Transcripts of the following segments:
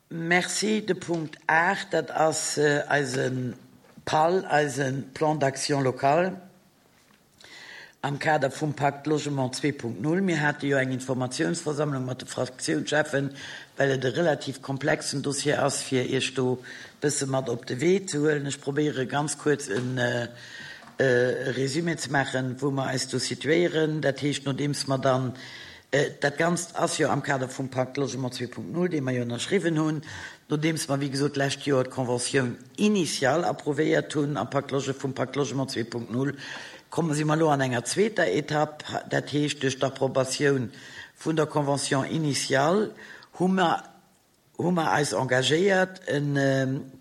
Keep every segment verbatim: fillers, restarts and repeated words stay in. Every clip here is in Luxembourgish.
Merci. De Punkt aacht, dat ass eise PAL, eise Plan d'action local am Kader vum Pakt Logement zwee Punkt null. Mir hate jo eng Informatiounsversammlung mat de Fraktiounscheffen, well et e relativ komplexen Dossier ass, fir Iech do e bësse mat op de Wee ze huelen. Ech probéiere ganz kuerz e Résumé ze maachen, wou mer eis do situéieren. Dat heescht, nodeems mer dann, dat Ganzt ass jo am Kader vum Pakt Logement zwee Punkt null, dee mer jo ënnerschriwwen hunn, nodeems mer, wéi gesot, d'lescht Joer d'Conventioun initiale approvéiert hunn am Pakt Loge, vum Pakt Logement zwee Punkt null, komme si mer elo an enger zweeter Etapp. Dat heescht, duerch d'Approbatioun vun der Convention initiale hu mer, hu mer eis engagéiert, e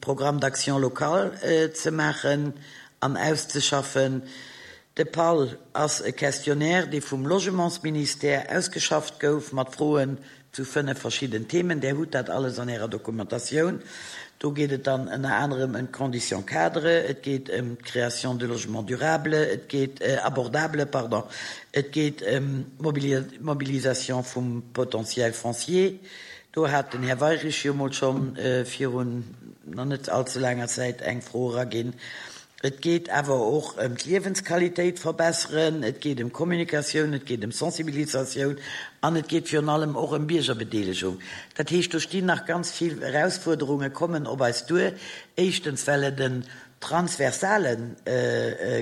Programme d'action locale ze maachen an auszeschaffen. De PAL ass e Questionnaire, dee vum Logementsministère ausgeschafft gouf, mat Froen zu fënnef verschidden Themen. Där hutt dat alles an Ärer Dokumentatioun. Do geet et dann ënner anerem ëm d'Conditions cadres, et geet ëm d'Création de logements durables, et geet, abordables, pardon, et geet ëm d'Mobilisation vum Potentiel foncier. Do hat den Här Weirich jo mol schonn virun nach net allze laanger Zäit eng Fro eraginn. Et geet awer och ëm d'Liewensqualitéit verbesseren, et geet ëm Kommunikatioun, et geet ëm Sensibilisatioun an et geet virun allem och ëm Biergerbedeelegung. Dat heescht, do stinn nach ganz vill Erausfuerderunge kommen op eis duer. Éischtens, well et en transversale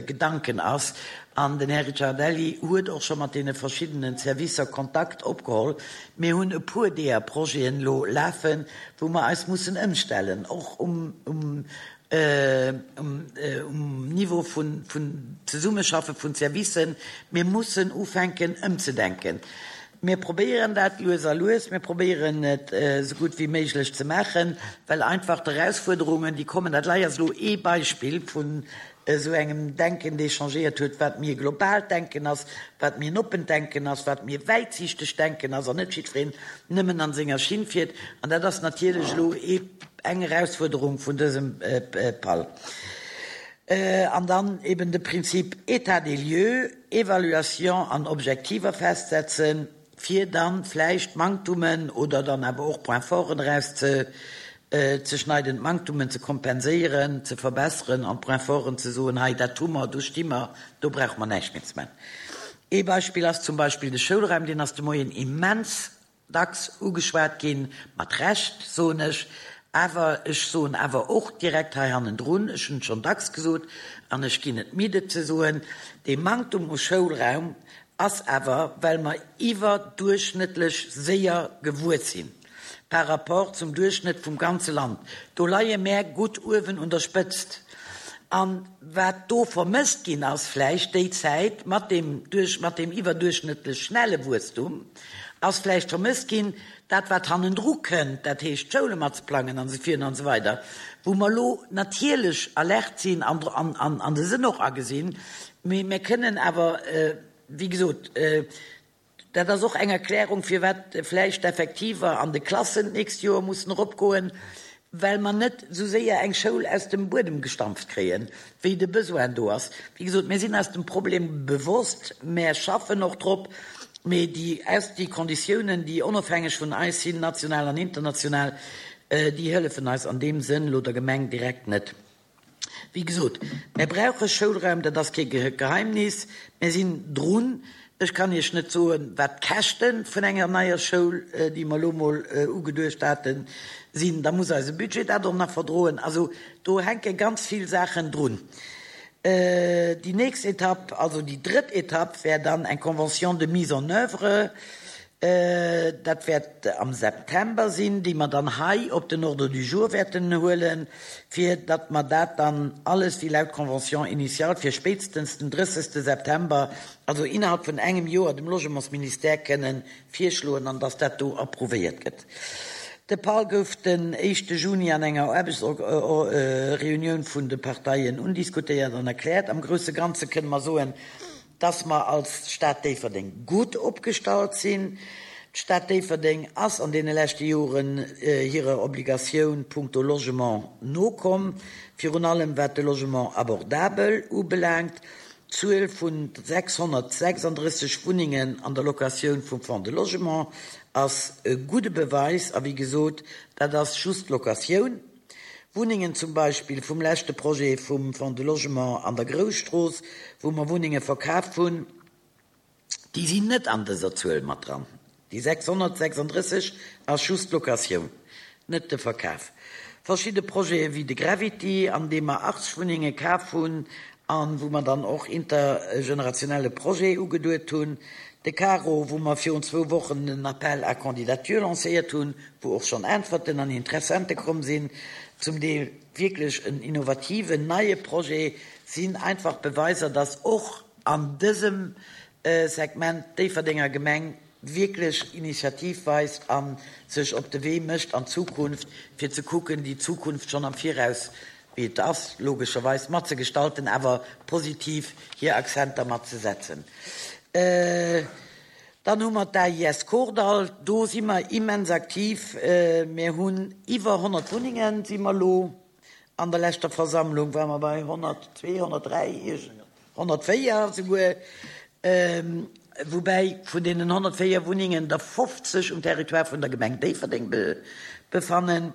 Gedanken ass an den Här Ricciardelli huet och scho mat deene verschiddenen Servicer Kontakt opgeholl. Mir hunn e puer deeër Projeten elo lafen, wou mer eis mussen ëmstellen, och um um um Niveau vun Zesummeschaffe vun Servicen. Mir mussen ufänken ëmzedenken. Mir probéieren dat lues a lues. Mir probéieren et esou gutt wéi méiglech ze maachen, well einfach d'Erausfuerderungen, déi kommen, dat lei ass elo ee Beispill vun esou engem Denken, dee changéiert huet, wat méi e globaalt Denken ass, wat méi en oppent Denken ass, wat méi e wäitsiichtegt Denken ass an net jiddwereen nëmmen an senger Schinn fiert. An dat ass natierlech elo ee eng Erausfuerderung vun dësem PAL. An dann eben de Prinzip État des lieux, Evaluation an Objektiver festsetzen, fir dann vläicht Manktummen oder dann awer och Points forten erauszeschneiden, d'Manktummen ze kompenséieren, ze verbesseren an d'Points forten ze soen, hei dat hu mer, do sti mer, do brauche mer näischt méi ze maachen. Ee Beispill ass zum Beispill de Schoulraum, deen ass de Moien immens dacks ugeschwat ginn, mat Recht, soen ech. Awer ech soen awer och direkt hei hannendrun, ech hunn et schonn dacks gesot an ech ginn net midd et ze soen, dee Manktum u Schoulraum ass awer, well mer iwwerduerchschnëttlech séier gewuess sinn par rapport zum Duerchschnëtt vum ganze Land. Do leie mär gutt uewen un der Spëtzt. A wat do vermësst ginn ass vläicht déi Zäit mat deem, mat deem iwwerduerchschnëttlech schnelle Wuesstum, ass vläicht vermësst ginn, dat wat hannendru kënnt, dat heescht d'Schoule mat ze plangen an esou virun an esou weider, wou mer elo natierlech alert sinn an, an, an de Sënn och agesinn, mee mir kënnen awer, wéi gesot, dat ass och eng Erklärung, firwat vläicht d'Effektiver an de Klassen d'nächst Joer mussen eropgoen, well mer net esou séier eng Schoul aus dem Buedem gestampft kréien, wéi de Besoin do ass. Wéi gesot, mir sinn eis dem Problem bewosst, mär schaffen och drop, mee déi aus déi Konditiounen, déi onofhängeg vun eis sinn, national an international, déi hëllefen eis an deem Sënn elo der Gemeng direkt net. Wéi gesot, mär brauche Schoulraum, dat ass kee Geheimnis, mär sinn drun. Ech kann Iech net soen, wat d'Käschte vun enger neier Schoul, déi mer elo mol ugeduecht haten, sinn. Da muss eise Budget dat och nach verdroen. Also do hänke ganz vill Saachen drun. Déi nächst Etapp, also déi drëtt Etapp, wär dann eng Convention de mise en œuvre. Dat wäert am September sinn, déi mer dann hei op den Ordre du jour wäerten huelen, fir datt mer dat dann alles wéi laut Convention initiale fir spéitstens den drëssegste September, also innerhalb vun engem Joer, dem Logementsministère kënnen virschloen an datt dat do approuvéiert gëtt. De PAL gouf den éischte Juni an enger Aarbechtsreunioun vun de Parteien undiskutéiert an erkläert. Am grousse Ganze kënne mer soen, dass mer als Stad Déifferdeng gutt opgestallt sinn. D'Stad Déifferdeng ass an deene leschte Joren hirer Obligatioun punkto Logement nokomm, virun allem wat de Logement abordabel ubelaangt. D'Zuel vun sechshonnertsechsanddrësseg Wunnengen an der Locatioun vum Fonds de Logement ass e gudde Beweis, a wéi gesot, dat ass just d'Locatioun. Wunnengen zum Beispill vum leschte Projet vum Fonds de Logement an der Grousstrooss, wou mer Wunnenge verkaaft hunn, déi sinn net an dëser Zuel mat dran. Déi sechshonnertsechsandrësseg ass just d'Locatioun, net de Verkaf. Verschidde Projete wéi de Gravity, an deem mer achtzeg Wunnenge kaf hunn a wou mer dann och intergenerationelle Projet ugeduet hunn, de Caro, wou mer virun zwou Wochen en Appel à candidature lancéiert hunn, wou och schonn Äntwerten an Interessente komm sinn, zum Deel wierklech en innovativen, neie Projet, sinn einfach Beweiser, dass och an dësem Segment d'Déifferdenger Gemeng wierklech Initiativ weist a sech op de Wee mécht an d'Zukunft, fir ze kucken, déi Zukunft schonn am Viraus, wéi et ass, logescherweis matzegestalten, awer positiv hir Accenter mat ze setzen. Dann hu mer d'AIS Kordall, do si mer immens aktiv. Mir hunn iwwer honnert Wunnengen, si mer elo an der leschter Versammlung ware mer bei honnertzwee, honnertdräi, honnertvéier esouguer, woubäi vun deenen honnertvéier Wunnengen der fofzeg um Territoire vun der Gemeng Déifferdeng befannen.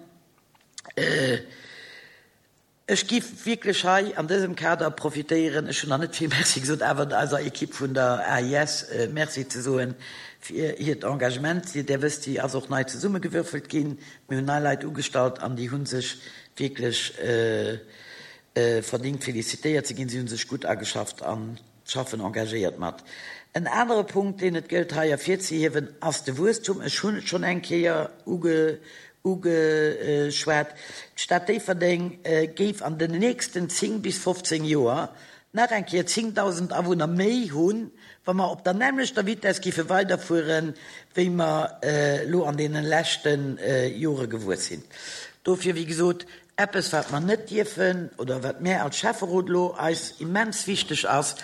Ech giff wierklech hei an dësem Kader profitéieren, ech hunn nach net vill Merci gesot, awer eiser Equipe vun der A I S Merci ze soen fir hiert Engagement. Dir wësst, déi ass och nei zesummegewürfelt ginn. Mir hunn nei Leit ugestallt an déi hu sech wierklech verdingt felicitéiert ze ginn. Si hu sech gutt ageschafft an schaffen engagéiert mat. En anere Punkt, deen et gëllt hei ervirzehiewen, ass de Wuesstum. Ech hunn et schonn eng Kéier ugeschwat. D'Stad Déifferdeng géif an den nächsten zéng bis fofzéng Joer nach eng Kéier zéngdausend Awunner méi hunn, wa mer op der nämmlechter Vitess géife weiderfueren, wéi mer elo an deene leschte Jore gewuess sinn. Dofir, wéi gesot, eppes, wat mer net dierfen oder wat mär als Schäfferot elo eis immens wichteg ass,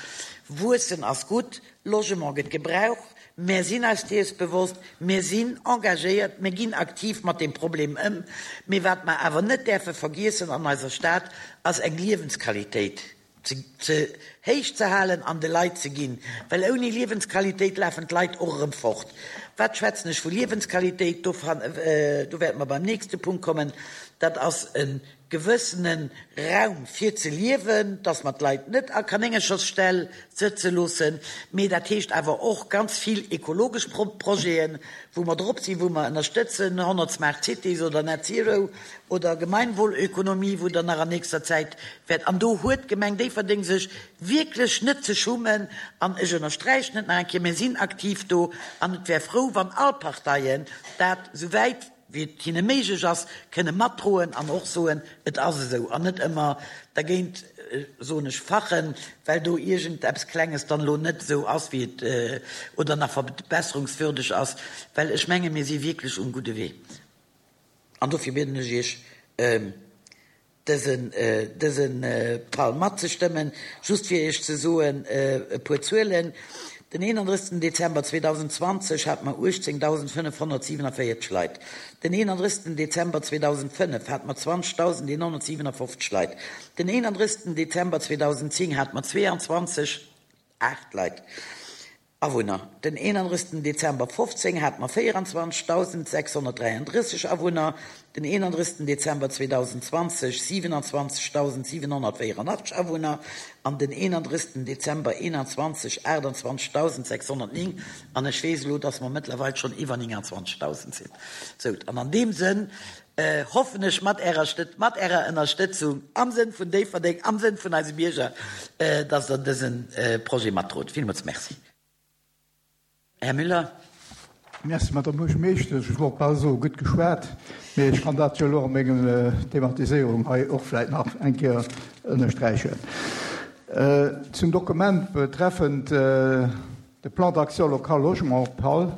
Wuessen ass gutt, Logement gëtt gebraucht, mär sinn eis dees bewosst, mär sinn engagéiert, mär ginn aktiv mat deem Problem ëm, mee wat mer awer net däerfe vergiessen an eiser Stad, ass eng Liewensqualitéit ze héich ze halen an de Leit ze ginn, well ouni Liewensqualitéit lafen d'Leit och erëm fort. Wat schwätzen ech vu Liewensqualitéit? Do wäerte mer beim nächste Punkt kommen. Dat ass e gewëssene Raum fir ze liewen, dass mer d'Leit net a Kanéngerchersställ sëtze loossen, mee dat heescht awer och ganz vill ekologesch Projeten, wou mer drop sinn, wou mer ënnerstëtzen, honnert Smart Cities oder Net Zero oder Gemeinwohlökonomie, wou dann nach an nächster Zäit wäert, an do huet d'Gemeng Déifferdeng sech wierklech net ze schummen, an ech ënnersträichen et nach eng Kéier, mir sinn aktiv do an et wär frou, wann all Parteien dat, souwäit wéi et hinne méiglech ass, kënne matdroen an och soen, et ass esou, an net ëmmer dergéint, soen ech, fachen, well do iergend eppes Klenges dann elo net esou ass, wéi et, oder nach verbesserungswürdeg ass, well ech menge mir si wierklech um gudde Wee. An dofir bieden ech Iech, dësen, dëse PAL matzestëmmen. Just fir Iech ze soen e puer Zuelen, Den eenandrëssegsten Dezember zweedausendzwanzeg hate mer uechtzéngdausendfënnefhonnertsiewenavéierteg Leit. Den eenandrëssegsten Dezember zweedausendfënnef hate mer zwanzegdausendeenhonnertsiwenafoffzeg Leit. Den eenandrëssegsten Dezember zweedausendzéng hate mer zweeanzwanzeg aacht Leit. Awunner. Den eenandrëssegsten Dezember fofzéng hate mer véieranzwanzegdausendsechshonnertdräiandrësseg Awunner, den eenandrëssegsten Dezember zweedausendzwanzeg siwenanzwanzegdausendsiwenhonnertvéieranachteg Awunner an den eenandrëssegsten Dezember eenanzwanzeg aachtanzwanzegdausendsechshonnertnéng. An ech weess elo, dass mer mëttlerweil schonn iwwer nénganzwanzegdausend sinn. Sou, an an deem Sënn hoffen ech mat Ärer Stëtz, mat Ärer Ënnerstëtzung am Sënn vun Déifferdeng, am Sënn vun eise Bierger, dass Der dëse Projet matdrot. Villmools Merci. Här Müller. Merci, Madame Buergermeeschtesch. Ech wollt bal soen, gutt geschwat, mee ech kann dat jo elo a mengem Thematiséierung hei och vläicht nach eng Kéier ënnersträichen. Zum Dokument betreffend de Plan d'action local logement, PAL,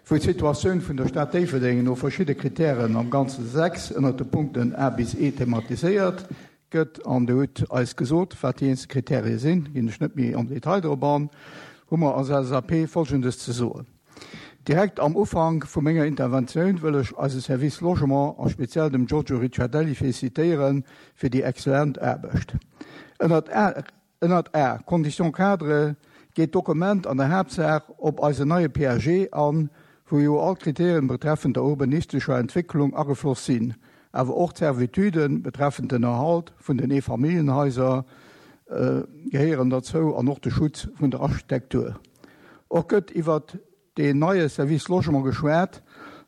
wou d'Situatioun vun der Stad Déifferdeng no verschidde Kritären, am Ganze sechs, ënnert de Punkten A bis E thematiséiert gëtt, an Der hutt eis gesot, wat déi eenzel Kriterie sinn, ginn ech net méi am Detail drop an, hu mer als L S A P Folgendes ze soen. Direkt am Ufank vu menger Interventioun wëll ech eise Service Logement a speziell dem Giorgio Ricciardelli félicitéiere fir déi excellent Aarbecht. Ënnert A, ënnert A, Conditions cadres, geet d'Dokument an der Haaptsaach op eisen neie P A G an, wou jo all Kriterien betreffend der urbanistischer Entwicklung agefloss sinn, awer och d'Servitüden betreffend den Erhalt vun den Eefamilljenhaiser äh, gehéieren dozou an och de Schutz vun der Architektur. Och gëtt iwwer den neie Service Logement geschwat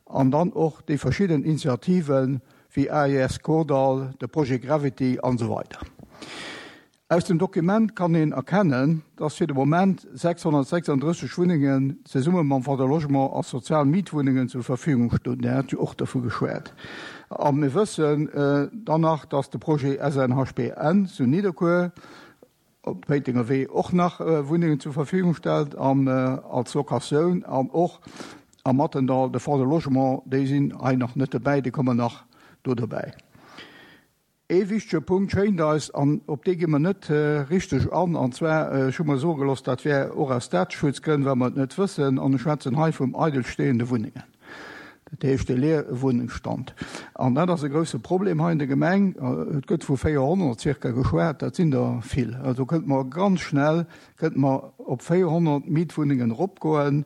an dann och déi verschidden Initiativen wéi A I S Kordall, de Projet Gravity an esou weider. Aus dem Dokument kann een erkennen, dass fir de Moment sechshonnertsechsanddrësseg Wunnengen zesumme mam Fonds de Logement a sozial Mietwunnengen zur Verfügung stoen. Der hat jo och dovu geschwat. A mir wëssen äh, dann nach, dass de Projet S N H P N zu Nidderkuer op Péitenger Wee och nach äh, Wunnengen zur Verfügung stellt an, äh, als Locatioun an och am Mathendahl de Fonds de Logement, déi sinn hei nach net dobäi, déi kommen nach do dobäi. E wichtege Punkt schéngt eis, an op dee gi mer net äh, richteg an, an zwar äh, ech hu mer soe gelooss, dat wär och aus Dateschutzgrënn, well mer et net wëssen, an ech schwätzen hei vum eidelstehende Wunnengen. Dat heescht de Leerwunnungsstand. An dat ass e grousse Problem hei an der Gemeng. Et gëtt vu véierhonnert circa geschwat, dat sinn der vill. Also kënnt mer ganz schnell kënnt mer op véierhonnert Mietwunnengen eropgoen,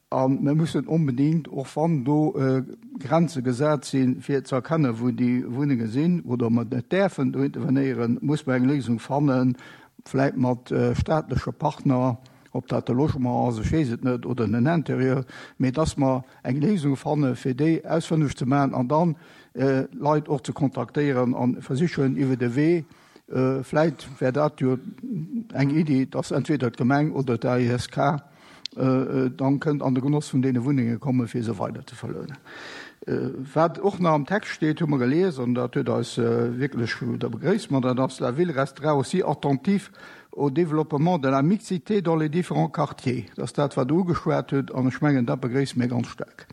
an mir mussen onbedéngt, och wann do äh, Grenze gesat sinn, fir ze erkennen, wou déi Wunnenge sinn oder mer net däerfen do intervenéieren, muss mer eng Léisung fannen, vläicht mat äh, staatleche Partner, ob dat de Logement ass, ech weess et net, oder den Intérieur, mee dass mer eng Léisung fanne fir déi ausfënneg ze maachen an dann äh, Leit och ze kontaktéieren an versichen iwwer de Wee, äh, vläicht wär dat jo eng Iddi, dass entweder d'Gemeng oder d'A I S K äh, dann kënnt an de Genoss vun deene Wunnenge komme fir se weider ze verlounen. Äh, wat och nach am Text steet, hu mer gelies an dat huet eis äh, wierklech da begréisst mer, dat ass: La ville restera aussi attentive au développement de la mixité dans les différents quartiers. Dat ass dat, wat Der ugeschwat hutt, an ech mengen, dat begréisse mir ganz staark.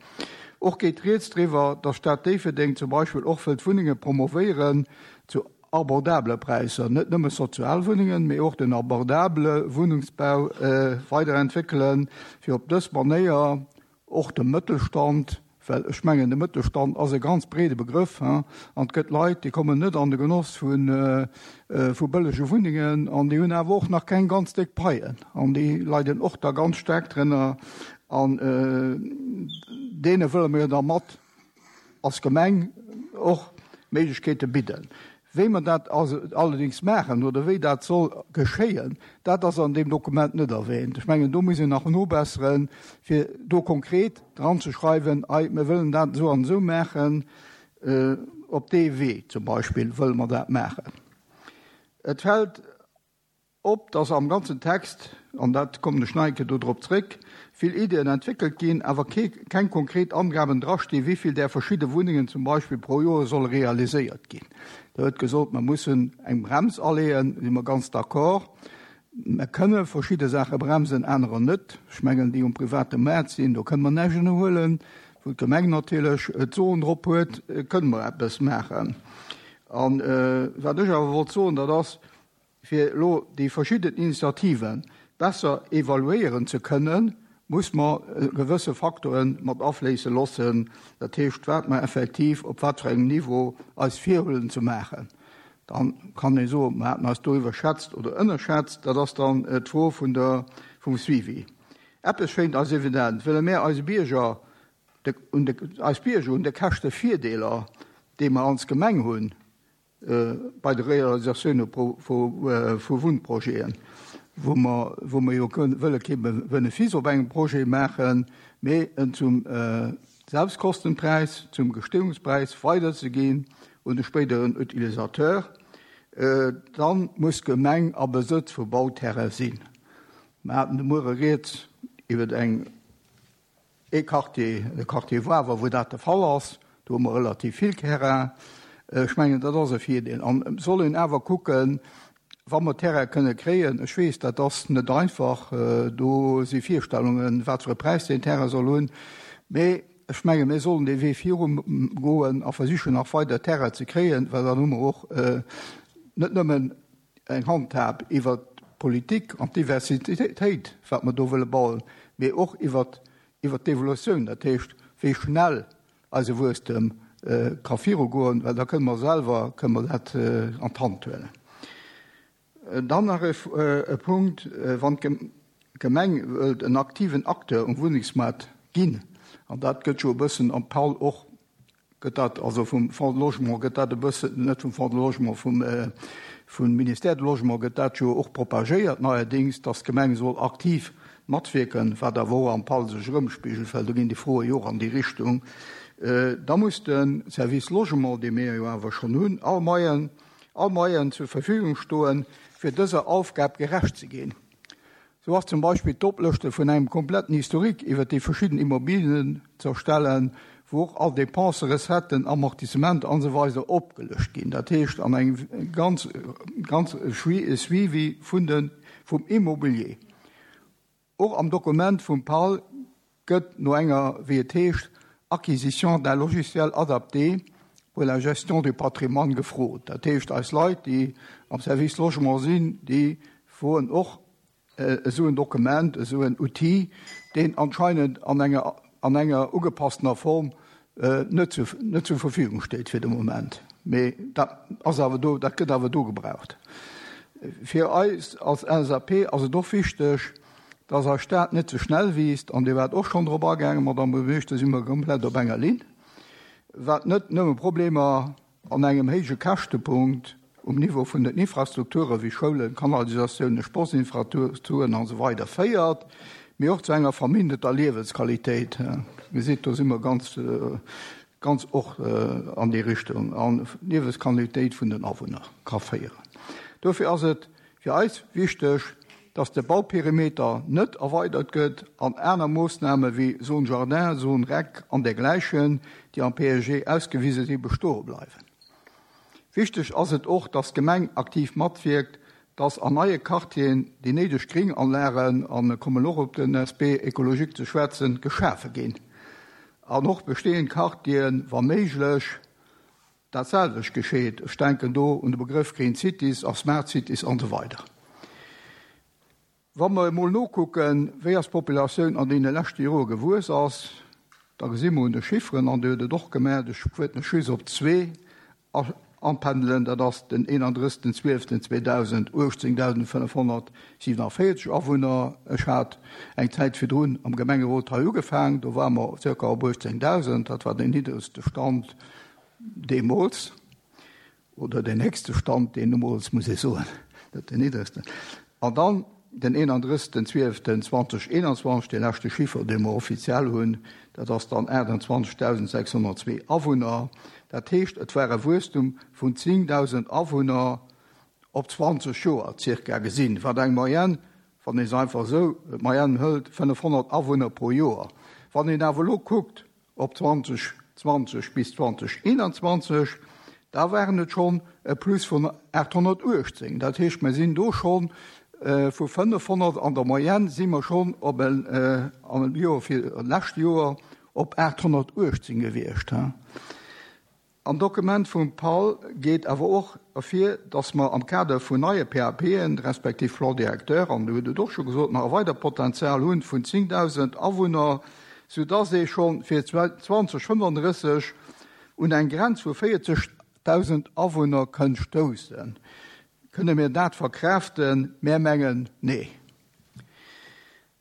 Och geet rieds driwwer, dass d'Stad Déifferdeng zum Beispill och wëllt Wunnenge promovéieren zu abordabele Präisser, net nëmme Sozialwunnengen, mee och den abordabele Wunnungsbau äh, weiderentwéckelen, fir op dës Manéier och de Mëttelstand, well ech mengen, de Mëttelstand ass e ganz breede Begrëff, an et gëtt Leit, déi kommen net an de Genoss vun äh, äh, vu bëllege Wunnengen an déi hunn awer och nach keng ganz déck Paien an déi leiden och da ganz staark drënner an äh, deene wëlle mir da mat als Gemeng och Méiglechkeete bidden. Wéi mer dat allerdéngs maachen oder wéi dat soll geschéien, dat ass an deem Dokument net erwähnt. Ech mengen, do muss een nach nobesseren, fir do konkret dran ze schreiwen, ei, mir wëllen dat esou an esou maachen, äh, op dee Wee zum Beispill wëlle mer dat maachen. Et fält op, dass am ganzen Text, an dat kommen ech nach eng Kéier do drop zréck, vill Iddien entwéckelt ginn, awer keng konkret Angaben drastinn, wéi vill där verschidde Wunnengen zum Beispill pro Joer solle realiséiert ginn. Da huet gesot, mer mussen eng Brems aleeën, si mer ganz d'accord. Mer kënne verschidde Saache bremsen, anerer net. Ech mengen, déi um private Maart sinn, do kënne mer näischt ënnerhuelen. Wou d'Gemeng natierlech d'Soen drop huet, kënne mer eppes maachen. An äh, wat ech awer wollt soen, dat ass, fir elo déi verschidden Initiative besser evaluéieren ze kënnen, muss mer äh, gewësse Facteure mat afléisse loossen, dat heescht, wat mer effektiv op wat fir engem Niveau eis virhuelen ze maachen. Dann kann ee soen, mer haten eis do iwwerschätzt oder ënnerschätzt, dat ass dann äh, d'Fro vun der, vum Suivi. Eppes schéngt eis evident, wëlle mir eise Bierger, de, un de, eis Bierger un de Käschtevirdeeler, déi mer als Gemeng hunn, äh, bei der Realisatioun vu Wunnprojeten, wou mer, wou mer jo wëlle kee Benefice op engem Projet maachen, mee en zum äh, Selbstkostenpräis, zum Gestehungspräis weiderzeginn un de spéideren Utilisateur, äh, dann muss d'Gemeng a Besëtz vu Bauterraine sinn. Mer haten de Muere rieds iwwer eng e Quartier, de Quartier Wawer, wou dat de Fall ass, do hu mer relativ vill Terrain. Ech mengen, dat ass e Virdeel. An soll een awer kucken, wa mer Terrain kënne kréien, ech weess, dat ass net einfach, äh, do si Virstellungen, wat fir e Präis den Terrain soll hunn, mee ech menge mir sollen de Wee virugoen a versichen nach weider Terrain ze kréien, well dann hu mer och äh, net nëmmen eng Handhab iwwer d'Politik an d'Diversitéit, wat mer do wëlle bauen, mee och iwwer iwwer d'Evolutioun, dat heescht, wéi schnell eise Wuesstem äh, ka virugoen, well da kënne mer selwer kënne mer dat äh, an d'Hand huelen. Dann nach e, e Punkt, wann d'Gemeng wëllt en aktiven Acteur um Wunnengsmaart ginn An dat gëtt jo e bëssen am PAL och, gëtt dat, also vum Fonds de Logement gëtt dat e bëssen, net vum Fonds de Logement, vum, vum Ministère de Logement gëtt dat jo och propagéiert neierdings, dass d'Gemeng soll aktiv matwierken, wat awer och am PAL sech erëmspigelt, well do ginn déi Froe jo och an déi Richtung. Da muss de Service Logement, dee mir jo awer schonn hunn, all Moyen, all Moyen zur Verfügung stoen, fir dëser Aufgab gerecht ze ginn. Sou ass zum Beispill d'Oplëschte vun engem kompletten Historique iwwer déi verschidden Immobilien ze erstellen, wou och all Dépensen, Recetten, Amortissementer an esou weider opgelëscht ginn. Dat heescht an engem ganz, ganz Suivi vun de, vum Immobilier. Och am Dokument vum PAL gëtt no enger, wéi et heescht, acquisition d'un logiciel adapté pour la gestion du patrimoine gefrot. Dat heescht, eis Leit, déi am Service Logement sinn, déi froen och esou en Dokument, esou en Outil, deen anscheinend an enger, an enger ugepasstener Form net zu, net zur Verfügung steet fir de Moment. Mee dat ass awer do, dat gëtt awer do gebraucht. Fir eis als L S A P ass et och wichteg, dass eis Stad net ze schnell wiisst, an Dir waart och schonn drop agaangen, Madame Buergermeeschter, si mer komplett op enger Linn, wat net nëmme Problemer an engem héije Käschtepunkt um Niveau vun den Infrastrukture wéi Schoulen, Kanalisatiounen, Sportsinfrastrukturen an esou weider féiert, mee och zu enger verminderter Liewensqualitéit. Dir gesitt, do si mer ganz, ganz och an déi Richtung, an Liewensqualitéit vun den Awunner ka féieren. Dofir ass et fir eis wichteg, dass de Bauperimeter net erweidert gëtt an aner Moossname wéi Zone Jardin, Zone Rec an dergleichen, déi am P A G ausgewiese sinn, bestoe bleiwen. Wichteg ass et och, dass d'Gemeng aktiv matwirkt, dass an neie Quartieren déi néideg Gringanlagen, an kommen och op den Aspect écologique ze schwätzen, geschafe ginn. An och bestehend Quartieren, wa méiglech, dat selwecht geschieht. Ech denken do un de Begriff Green Cities a Smart Cities an so weider. Wa mer emol nokucken, wéi ass d'Populatioun an deene leschte Jore gewuess ass, da gesi mer un de Chifferen, an Dir hutt et och gemerkt, ech wuert mech just op zwee anpendelen, dat ass den einunddreißigsten zwölften zweitausendachtzehn tausendfünfhundertsiebenundvierzig Awunner. Ech hat eng Zäit virdrun am Gemengerot hei ugefaangen, do war mer circa op achtzehntausend, dat war den niedrigste Stand deemools, oder den nächste Stand, den deemools, muss ich soen, net den niedrigsten. An dann den einunddreißigsten zwölften zweitausendeinundzwanzig, de leschte Chiffre, dee mer offiziell hunn, dat ass dann achtundzwanzigtausendsechshundertzwee Awunner. Dat heescht, et war e Wuesstum vun zehntausend Awunner op zwanzig Joer circa gesinn, wat eng Moyenne, wann een es einfach so Moyenne hëlt, fünfhundert Awunner pro Joer. Wann een awer lo kuckt op zwanzig zwanzig bis zwanzig einundzwanzig, da waren et schon e Plus vun achthundertachtzehn. Dat heescht, mir sinn do schon, äh, vu fünfhundert an der Moyenne si mer schon op en, äh, an Joer fir lescht Joer op achthundertachtzehn gewiescht. He. Am Dokument vum PAL geet awer och ervir, dass mer am Kader vun neie P A P'en, respektiv Plan Directeur, an du huet et och scho gesot, nach weider Potenzial hunn vun zehntausend Awunner, sodass ee schon fir zwanzig fünfunddreißig un eng Grenz vu vierzigtausend Awunner kënnt stoussen. Kënne mir dat verkräften? Mir mengen, nee.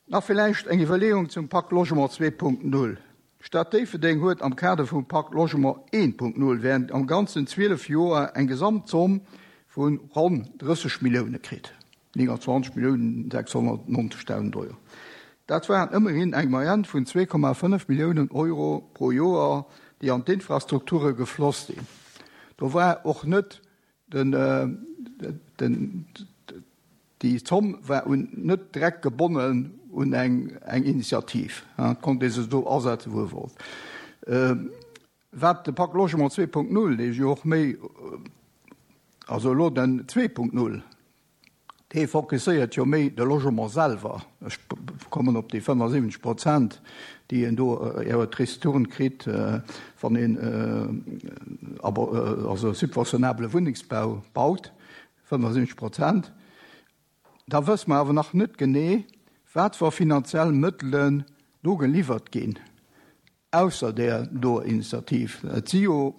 Nach vielleicht eng Iwwerleeung zum Pakt Logement zwei Punkt null. Stadt Déifferdeng huet am Kader vum Pakt Logement eent Punkt null während am ganzen zwölf Joer eng Gesamtsumme vun ronn dreißig Millioune kritt. neunundzwanzig Millionen sechshundertneunzigtausend Euro. Dat waren immerhin eng Moyenne vun zwei Komma fünf Millionen Euro pro Joer, déi an d'Infrastrukture gefloss sinn. Do war och net den, äh, den, die Zomm war un, net direkt gebonnen un eng, eng Initiativ. Ja, konnte se do asetzen, wo wollt. Ähm, wat de Pakt Logement zwei Punkt null, dee jo och méi, also lo den zwei Punkt null, dee fokusséiert jo méi de Logement selwer. Ech kommen op déi fünfundsiebzig Prozent, déi en do, äh, eher Tristuren kritt, äh, wann een, äh, aber, äh, also subventionable Wohnungsbau baut, fünfundsiebzig Prozent. Da wëssen wir awer nach net genee, wat für finanziell Mëttelen do geliefert ginn, ausser der do Initiativ. Et si jo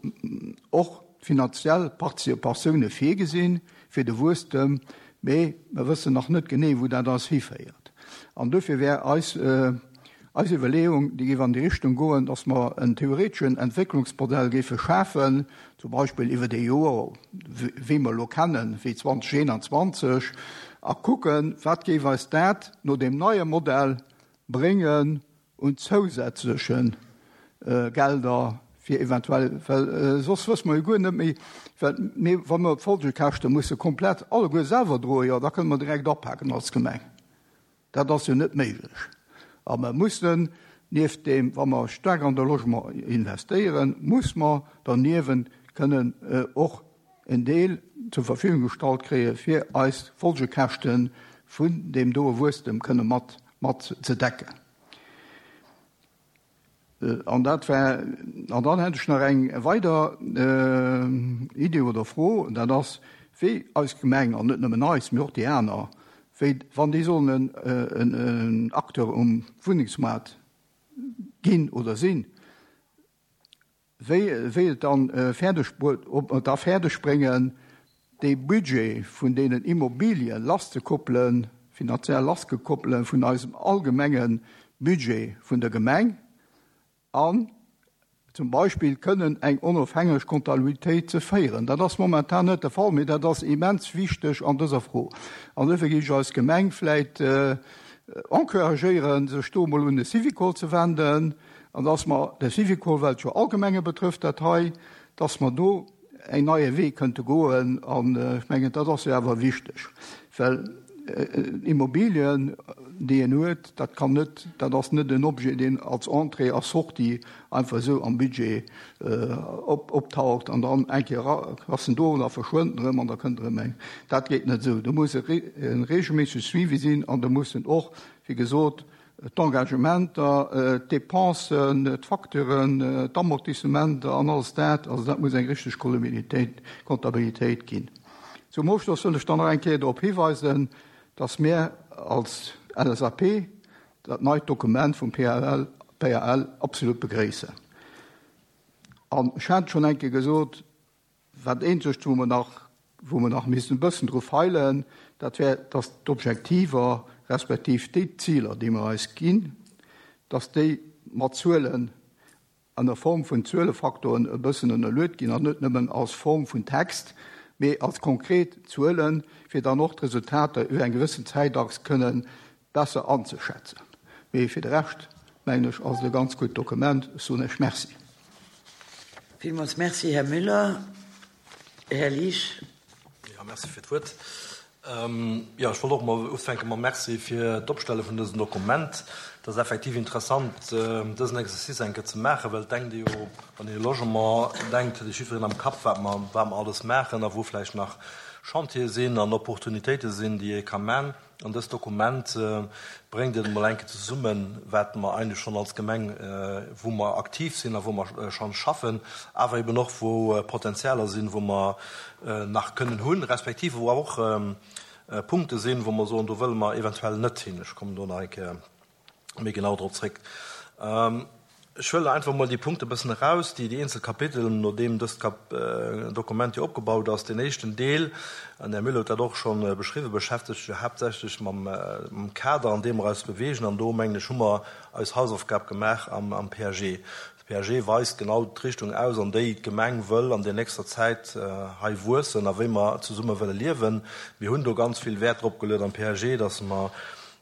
och finanziell Partizipatioune virgesinn fir de Wuesstem, mee wir wëssen nach net genee, wo dat ass hiféiert. An dofir wär eis, äh, Eis Iwwerleeung, déi géif an déi Richtung goen, dass mer en theoreteschen Entwécklungsmodell géife schafen, zum Beispill iwwer déi Joer, wéi mer elo kennen, wéi zweedausendeenanzwanzeg, a kucken, wat géif eis dat no deem neie Modell bréngen un zousätzleche Gelder fir eventuell, well soss wësse mer jo guer net méi, well mir, wa mer d'Folgekäschte musse komplett alleguer selwer droen, jo da kënne mer direkt apaken als Gemeng. Dat ass jo net méiglech. A mer mussen nieft deem, wa mer staark an de Logement investéieren, muss mer derniewent kënnen och en Deel zur Verfügung gestallt kréie fir eis Folgekäschte vun deem doe Wuesstem kënne mat mat ze decken. An dat war, an dann hätt ech nach eng weider Idee oder Fro, dat ass, wéi eis Gemeng, an net nëmmen eis, mee och déi aner, wéi wann déi sollen en en Acteur um Wunnengsmaart ginn oder sinn, wéi wéi et dann fäerdeg, ob mer et da fäerdeg bréngen, dee Budget vun deenen Immobilien lasszekoppelen, finanziell lassgekoppelen vun eisem allgemenge Budget vun der Gemeng, an zum Beispill kënnen eng onofhängeg Comptabilitéit ze féieren. Dat ass momentan net de Fall, mee dat ass immens wichteg an dëser Fro. An dofir géif ech eis Gemeng vläit encouragéieren, sech do emol un de Syvicol ze wenden, an dass mer de Syvicol, well et jo all Gemenge betrëfft dat hei, dass mer do en neie Wee kënnte goen. An ech mengen, dat ass jo awer wichteg, well Immobilien, déi een huet, dat kann net, dat ass net en Objet, deen als Entrée a Sortie einfach esou am Budget op, optaucht an dann eng Kéier ass en do an da verschwënnt en erëm an da kënnt erëm eng. Dat geet net esou. Do muss e regelméissege Suivi sinn an do mussen och, wéi gesot, d'Engagementer, d'Dépensen, d'Facturen, d'Amortissementer an alles dat, also dat muss eng richteg Comptabilitéit ginn. Zum Ofschloss wëll ech dann nach eng Kéier drop hiweisen, dass mir als L S A P dat neit Dokument vum P A L, P A L absolut begréissen. An ech hat schonn eng Kéier gesot, wat eenzegt, wou mer nach, wou mer nach missten e bëssen dru feilen, dat wär, dass d'Objektiver respektiv déi Ziler, déi mer eis ginn, dass déi mat Zuelen an der Form vun Zuelefaktoren e bëssen ënnerluet ginn an net nëmmen als Form vun Text, mee als konkret Zuelen, fir dann och d'Resultater iwwer eng gewëssen Zäitachs kënnen besser anzuschätzen. Mee fir de Rescht, mengen ech, ass et e ganz gutt Dokument. Ech soen Iech Merci. Villmools Merci, Här Müller. Här Liesch. Ja, merci fir d'Wuert. Ähm, ja, ech wollt och mol ufänke mam Merci fir d'Opstelle vun dësem Dokument. Dat ass effektiv interessant, ähm, dësen Exercice eng Kéier ze maachen, well denkt Dir jo, wann Dir Logement denkt, huet jiddwereen am Kapp, wat mer, wat mer alles maachen a wou vläicht nach Chantiere sinn an Opportunitéite sinn, déi ee ka man. An dëst Dokument, äh, bréngt et mol eng Kéier zesummen, wat mer eigentlech schonn als Gemeng, äh, wou mer aktiv sinn a wou mer, äh, schonn schaffen, awer eben och, wou, äh, Potenzialer sinn, wou mer, äh, nach kënnen hunn, respektive wou och, ähm, äh, Punkte sinn, wou mer soen, do wëlle mer eventuell net hin. Ech komme do nach eng Kéier méi genau drop zréck. Ähm, ech wëll einfach mol déi Punkte bëssen eraus, déi déi eenzel Kapitel, no deem dëst Kap-, äh, Dokument hier opgebaut ass. Den éischten Deel, an der Müller huet dat och schonn, äh, beschriwwen, beschäftegt sech haaptsächlech mam, äh, mam Kader, an deem mer eis bewegen, an do mengen ech, hu mer eis Hausaufgab gemaach am, am P A G. De P A G weist genau d'Richtung aus, an déi d'Gemeng wëll an der nächster Zäit, äh, hei wuessen a wéi mer zesumme wëlle liewen. Mir hunn do ganz vill Wert drop geluecht am P A G, dass mer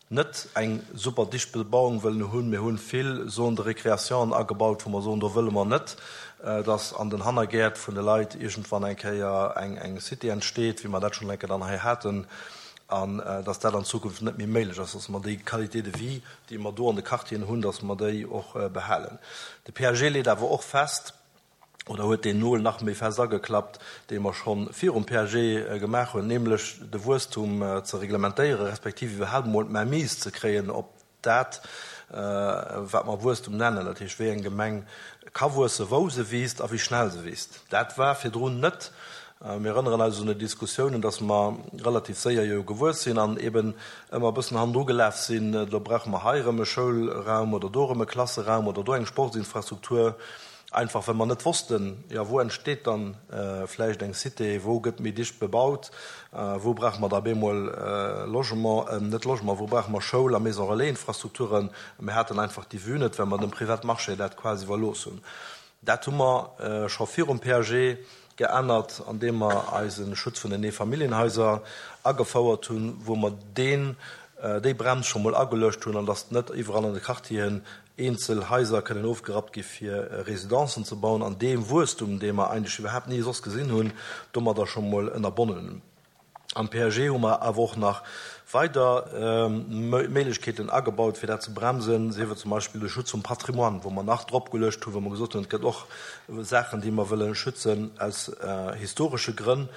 net eng super dicht Bebauung wëllen hunn. Mir hunn vill Zones de récréation agebaut, wou mer soen, do wëlle mer net, äh, dass an den Hannergäert vun de Leit irgendwann eng Kéier eng, eng City entsteet, wéi mer dat schonn eng Kéier dann hei haten, an, äh, dass dat an Zukunft net méi méiglech ass, dass mer déi Qualité de vie, déi mer do an de Quartieren hunn, dass mer déi och, äh, behalen. De P A G leet awer och fest, oder huet den Nol nach méi fest ageklappt, dee mer schonn virum P A G, äh, gemaach hunn, nämlech de Wuesstum, äh, ze reglementéieren, respektiv iwwerhaupt mol d'Mainmise ze kréien op dat, äh, wat mer Wuesstum nennen. Dat heescht, wéi eng Gemeng ka wuessen, wou se wiisst a wéi schnell se wiisst. Dat war virdrun net. Äh, mir erinnern eis un die Diskussionen, dass mer relativ séier jo gewuess sinn an eben ëmmer e bëssen hannendru gelaf sinn. Da brauche mer hei erëm e Schoulraum oder do erëm e Klasseraum oder do eng Sportsinfrastruktur. Einfach well mer net wossten, jo, wou entsteet dann vläicht eng Cité, wou gëtt méi dicht bebaut, wou brauche mer da bemol Logement, net Logement, wou brauche mer Schoul a Maison relais-Infrastrukturen. Mir haten einfach déi Vue net, well mer dem Privatmarché dat quasi iwwerlooss hunn. Dat hu mer scho virum P A G geännert, andeem mer eise Schutz vun den Eefamilljenhaiser agefouert hunn, wou mer deen, déi Brems scho mol ageluecht hunn, an dass net iwwerall an de Quartieren eenzel Haiser kënnen ofgerappt gi fir Residencen ze bauen, an deem Wuesstum, dee mer eigentlech iwwerhaapt ni soss gesinn hunn, domadder scho mol ënnerbonnen hunn. Am P A G hu mer awer och nach weider Méiglechkeeten agebaut, fir dat ze bremsen, sief et zum Beispill de Schutz vum Patrimoine, wou mer nach drop geluecht hunn, wou mer gesot hunn, et gëtt och Saachen, déi mer wëlle schützen aus historesche Grënn.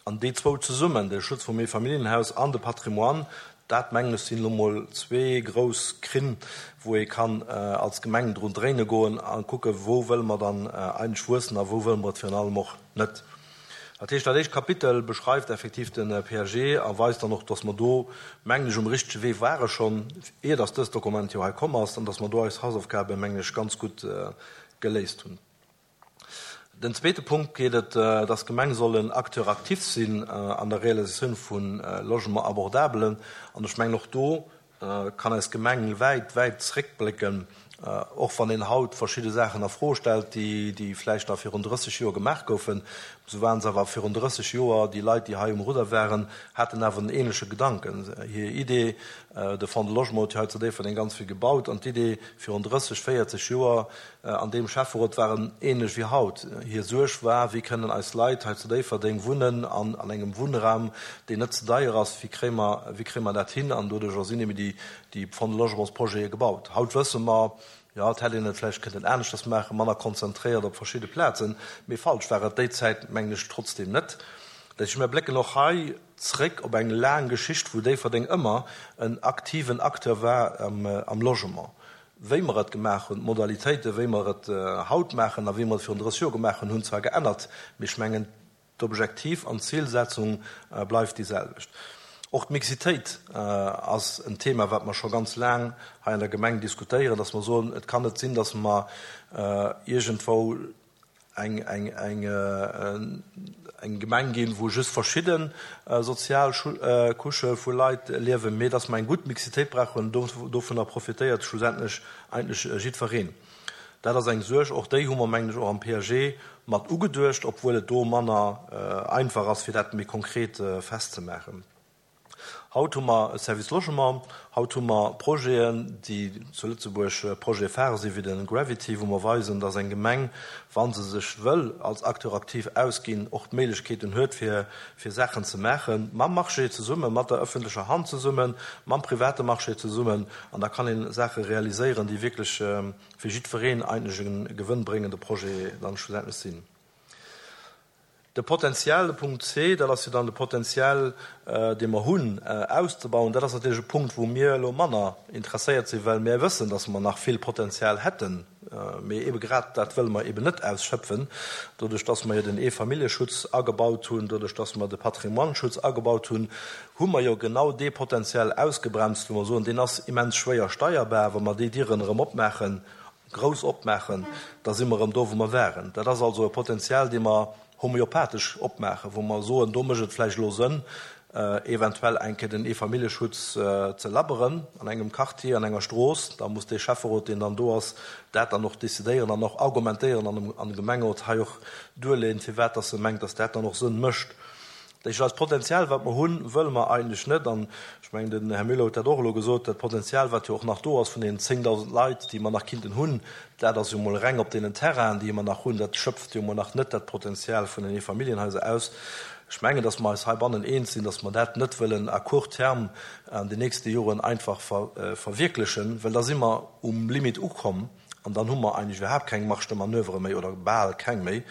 An déi zwou zesummen, de Schutz vum Eefamilljenhaus an de Patrimoine, dat mengen ech sinn elo mol zwee grouss Krinn, wou ee kann als Gemeng drun dréine goen a kucken, wou wëlle mer dann eigentlech wuessen a wou wëlle mer et virun allem och net. Dat heescht, dat éischt Kapitel beschreift effektiv de P A G a weist dann och, dass mer do, mengen ech, um richtege Wee ware schonn, ier dass dëst Dokument jo hei komm ass, an dass mer do eis Hausaufgabe, mengen ech, ganz gutt geléist hunn. Den zweete Punkt geet et, dass d'Gemeng soll en Acteur actif sinn an der Realisatioun vu Logement abordabelen. An ech mengen, och do kann eis Gemeng wäit, wäit zréckblécken, och wann een haut verschidde Saachen a Fro stellt, déi, déi vläicht da virun drësseg Joer gemaach goufen. Sou waren se awer virun drësseg Joer, déi Leit, déi hei um Rudder waren, haten awer en ähnleche Gedanken. Hir Idee, de Fonds de Logement huet jo hei zu Déifferdeng ganz vill gebaut, an d'Idee virun drësseg, véierzeg Joer an deem Schäfferot waren ähnlech wéi haut. Hir Suerg war, wéi kënnen eis Leit hei zu Déifferdeng wunnen an, an engem Wunnraum, deen net ze deier ass, wéi kréie mer, wéi kréie mer dat hin? An doduerch sinn eben déi, déi Fonds de Logementsprojete gebaut. Haut wësse mer, jo, et hätt een et vläicht kënnen aneschters maachen, manner konzentréiert op verschidde Plazen, mee falsch war et déi Zäit, mengen ech, trotzdem net. Dat heescht, mir blécken och hei zréck op eng laang Geschicht, wou Déifferdeng ëmmer en aktiven Acteur war am, am Logement. Wéi mer et gemaach hunn, d'Modalitéiten, wéi mer et haut maachen a wéi mer et virun drësseg Joer gemaach hunn, hunn zwar geännert, mee ech mengen, d'Objektiv an d'Zilsetzung bleift déi selwecht. Och d'Mixitéit ass en Thema, wat mer scho ganz laang hei an der Gemeng diskutéieren, dass mer soen, et kann net sinn, dass mer iergendwou eng, eng, eng, eng Gemeng ginn, wou just verschidden sozial Couchë vu Leit liewen, mee dass mer eng gutt Mixitéit brauchen, dovunner profitéiert schlussendlech eigentlech jiddwereen. Dat ass eng Suerg, och déi hu mer, mengen ech, och am P A G mat ugeduecht, obwuel et do manner einfach ass, fir dat méi konkret festzemaachen. Haut hu mer e Service Logement, haut hu mer Projeten, déi zu Lëtzebuerg Projete phare sinn, wéi den Gravity, wou mer weisen, dass eng Gemeng, wa se sech wëll als Acteur aktiv ausginn, och d'Méiglechkeeten huet, fir, fir Saachen ze maachen, mam Marché zesummen, mat der ëffentlecher Hand zesummen, mam private Marché zesummen, an da kann een Saache realiséieren, déi wierklech fir jiddwereen eigentlech e gewënnbréngende Projet dann schlussendlech sinn. De Potenzial, de Punkt C, dat ass jo dann de Potenzial, dee mer hunn, auszebauen. Dat ass natierlech e Punkt, wou mir elo manner interesséiert sinn, well mir wëssen, dass mer nach vill Potenzial hätten. Mee ebe grad dat wëlle mer eben net ausschöpfen, doduerch, dass mer jo den Eefamilljeschutz agebaut hunn, doduerch, dass mer de Patrimoine-Schutz agebaut hunn, hu mer jo genau dee Potenzial ausgebremst, wou mer soen, deen ass immens schwéier steierbar, wa mer déi Dieren erëm opmaachen, grouss opmaachen, da si mer erëm do, wou mer waren. Dat ass also e Potenzial, dee mer homöopathesch opmaachen, wou mer soen, do mécht et vläicht elo Sënn, eventuell eng Kéier den Eefamilljeschutz ze labberen an engem Quartier, an enger Strooss. Da muss dee Schäfferot, deen dann do ass, dat dann och decidéieren an och argumentéieren an dem Gemengerot hei och duerleeën, firwat dass e mengt, dass dat dann och Sënn mécht. Dat heescht, dat Potenzial, wat mer hunn, wëlle mer eigentlech net. An ech mengen, den Här Müller huet dat och elo gesot, dat Potenzial, wat jo och nach do ass vun den zéngdausend Leit, déi mer nach kinnten hunn, dat ass jo mol reng op deenen Terrainen, déi mer nach hunn, dat schöpft jo mol nach net dat Potenzial vun den Eefamilljenhaiser aus. Ech mengen, dass mer eis heibannen eens sinn, dass mer dat net wëllen à court terme an den nächste Joren einfach ver-, verwirklichen, well da si mer um Limit ukomm an dann hu mer eigentlich überhaupt keng Marge de Manœuvre méi oder bal keng méi.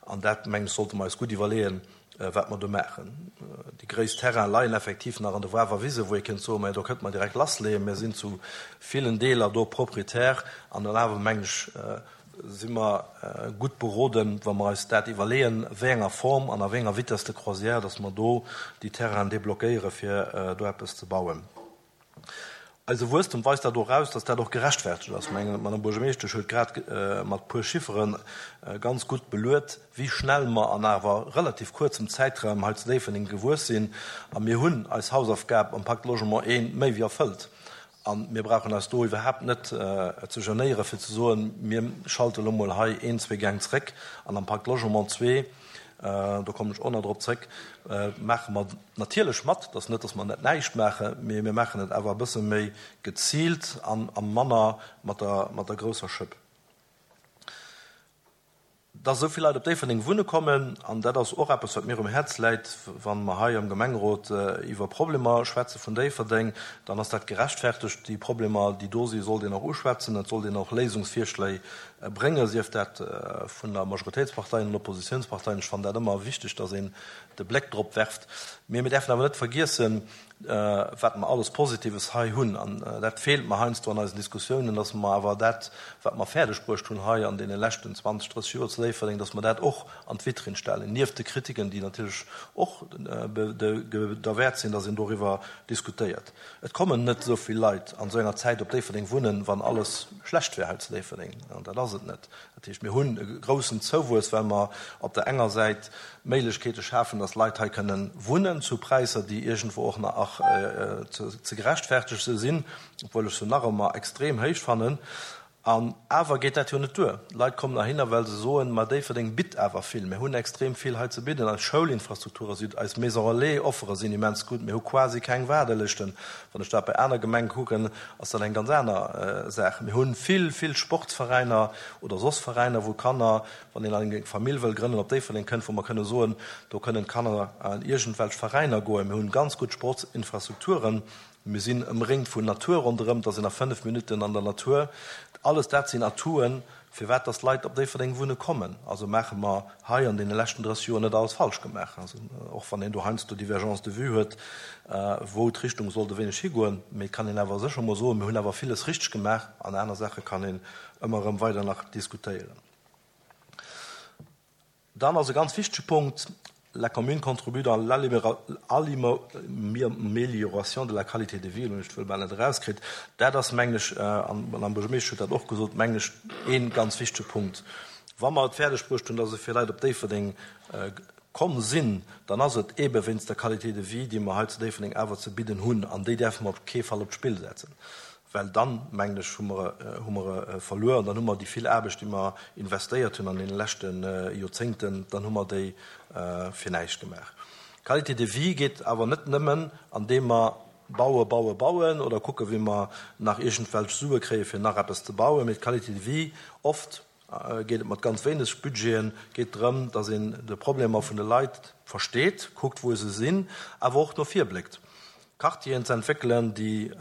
An dat, mengen ech, sollte mer eis gutt iwwerleeën, wat mer do maachen. Déi gréisst Terrain leien effektiv nach an der Wawer Wise, wou ee kënnt soen, ma do kënnt man direkt lassleeën. Mir sinn zu villen Deeler do proprietär an dann awer, mengen ech, si mer gutt beroden, wa mer eis dat iwwerleeën, wéi enger Form an a wéi enger Vitesse de croisière, dass mer do déi Terrainen deblockéiere fir do eppes ze bauen. Eise Wuesstem weist dat och eraus, dass dat och gerechtfertegt ass. Ech mengen, d'Madame Buergermeeschtesch huet grad mat puer Chifferen ganz gutt beluet, wéi schnell mer an awer relativ kuerzem Zäitraum hei zu Déifferdeng gewuess sinn. A mir hunn eis Hausaufgab am Pacte Logement I méi wéi erfëllt. A mir brauchen eis do iwwerhaapt net ze genéieren, fir ze soen, mir schalte elo mol hei een, zwee Gäng zréck an am Pacte Logement zwee, do kommen ech och nach drop zréck, maache mer natierlech mat, et ass net, datt mer net näischt maachen, mee mir maachen et awer e bësse méi geziilt an a manner mat der, mat der grousser Schëpp. Datt esou vill Leit op Déifferdeng wunne kommen, an dat ass och eppes, wat mir um Häerz läit, wa mer hei am Gemengerot iwwer Problemer schwätze vun Déifferdeng, dann ass dat gerechtfertegt. Déi Problemer, déi do sinn, sollt een och uschwätzen, et sollt een och Léisungsvirschléi bréngen, sief dat vun der Majoritéitspartei an den Oppositionsparteien. Ech fannen dat ëmmer wichteg, dass een de Bléck drop werft. Mee mir däerfen awer net vergiessen, wat mer alles Positives hei hunn. An dat feelt mer heiansdo an eisen Diskussiounen, dass mer awer dat, wat mer fäerdegbruecht hunn hei an deene leschten zwanzeg, drësseg Joer zu Déifferdeng, dass mer dat och an d'Vitrinn stellen, nieft de Kritiken, déi natierlech och derwäert sinn, dass een doriwwer diskutéiert. Et kommen net esou vill Leit an esou enger Zäit op Déifferdeng wunnen, wann alles schlecht wär hei zu Déifferdeng. An dat ass et net. Dat heescht, mir hunn e groussen Zouwuess, well mer op der enger Säit Méiglechkeete schafen, dass Leit hei kënnen wunnen zu Präisser, déi iergendwou och nach ze gerechtfertege sinn, obwuel ech se nach ëmmer extrem héich fannen. An awer geet dat jo net duer. Leit kommen heihinner, well se soen, ma Déifferdeng bitt awer vill. Mir hunn extrem vill hei ze bidden. Eis Schoulinfrastrukture sinn, eis Maison relais-Offere sinn immens gutt. Mir hu quasi keng Waardelëschten. Wann ech dat bei aner Gemenge kucken, ass dat eng ganz aner Saach. Mir hu vill, vill Sportsveräiner oder soss Veräiner, wou Kanner, wann een eng Famill wëll grënnen, op Déifferdeng kënnt, wou mer kënne soen, do kënnen d'Kanner an iergendwelch Veräiner goen. Mir hunn ganz gutt Sportsinfrastrukturen. Mir sinn ëmréngt vun Natur ronderëm, da sinn a fënnef Minutten an der Natur. Alles dat sinn Atouen, firwat dass Leit op Déifferdeng wunne kommen. Also maache mer hei an deene leschten drësseg Joer net alles falsch gemaach. Also och wann een do heiansdo Divergences de vue huet, wou d'Richtung sollt e wéineg higoen, mee et kann een awer sécher mol soen, mir hunn awer villes richteg gemaach an aner Saache kann een ëmmer erëm weider nach diskutéieren. Dann ass e ganz wichtege Punkt, La commune contribue dans l'amélioration de la qualité de vie, hunn ech d'Wuert bal net erauskritt. Dat ass, mengen ech, an d'Madame Buergermeeschtesch huet dat och gesot, mengen ech, ee ganz wichtege Punkt. Wa mer et fäerdegbruecht hunn, dass esou vill Leit op Déifferdeng komm sinn, dann ass et eebe wéinst der Qualité de vie, déi mer hei zu Déifferdeng awer ze bidden hunn. An déi däerfe mer op kee Fall op d'Spill setzen. Well dann, mengen ech, hu mer, hu mer e verluer an dann hu mer déi vill Aarbecht, déi mer investéiert hunn an deene leschte Joerzéngten, dann hu mer déi fir näischt gemaach. Qualité de vie geet awer net nëmmen, andeem mer baue, baue, bauen oder kucke wéi mer nach iergendwelch Sue kréie fir nach eppes ze bauen, mee d'Qualité de vie, oft geet et mat ganz wéineg Budgeten, geet drëm, datt een de Problemer vun de Leit versteet, kuckt wou se sinn, awer och no vir bléckt. Quartieren ze entwéckelen, déi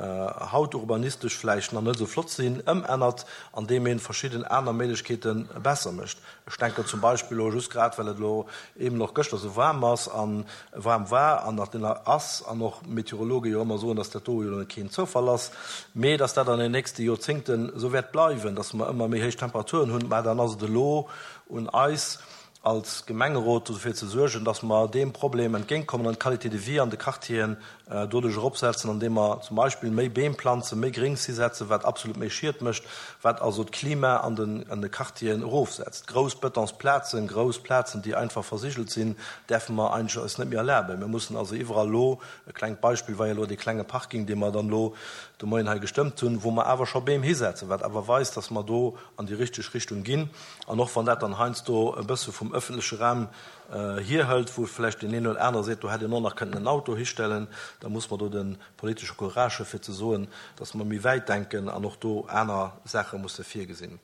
haut urbanistesch vläicht nach net esou flott sinn, ëmännert, andeem ee verschidden aner Méiglechkeete besser mécht. Ech denken zum Beispill elo just grad, well et elo eeben och gëschter esou waarm ass a waarm war an nach ass an och Meteorologe jo ëmmer soen, dass dat do jo elo keen Zoufall ass, mee dass dat an den nächste Joerzéngten esou wäert bleiwen, dass mer ëmmer méi héich Temperaturen hunn. Mä dann ass et elo un eis, als Gemengerot dofir ze suergen, dass mer deem Problem entgéintkommen an d'Qualité de vie an de Quartieren doduerch eropsetzen, andeem mer zum Beispill méi Beem planzen, méi Gréngs hisetzen, wat absolut méi Schied mécht, wat also d'Klima an den an de Quartieren erofsetzt. Grouss Betonsplazen, grouss Plazen, déi einfach versigelt sinn, däerfe mer eigentlech eis net méi erlaben. Mir mussen also iwwerall elo, e klengt Beispill war jo elo dee klenge Parking, dee mer dann elo de Moien hei gestëmmt hunn, wou mer awer scho Beem hisetzen, wat awer weist, dass mer do an déi richteg Richtung ginn. An och wann dat dann heiansdo e bësse vum öffentleche Raum hierhëlt, wou vläicht deen een oder anere seet, do hätt een och nach kënnen en Auto histellen, da muss mer do de politesche Courage hu fir ze soen, dass mer méi wäit denken an och do aner Saache musse virgesinn.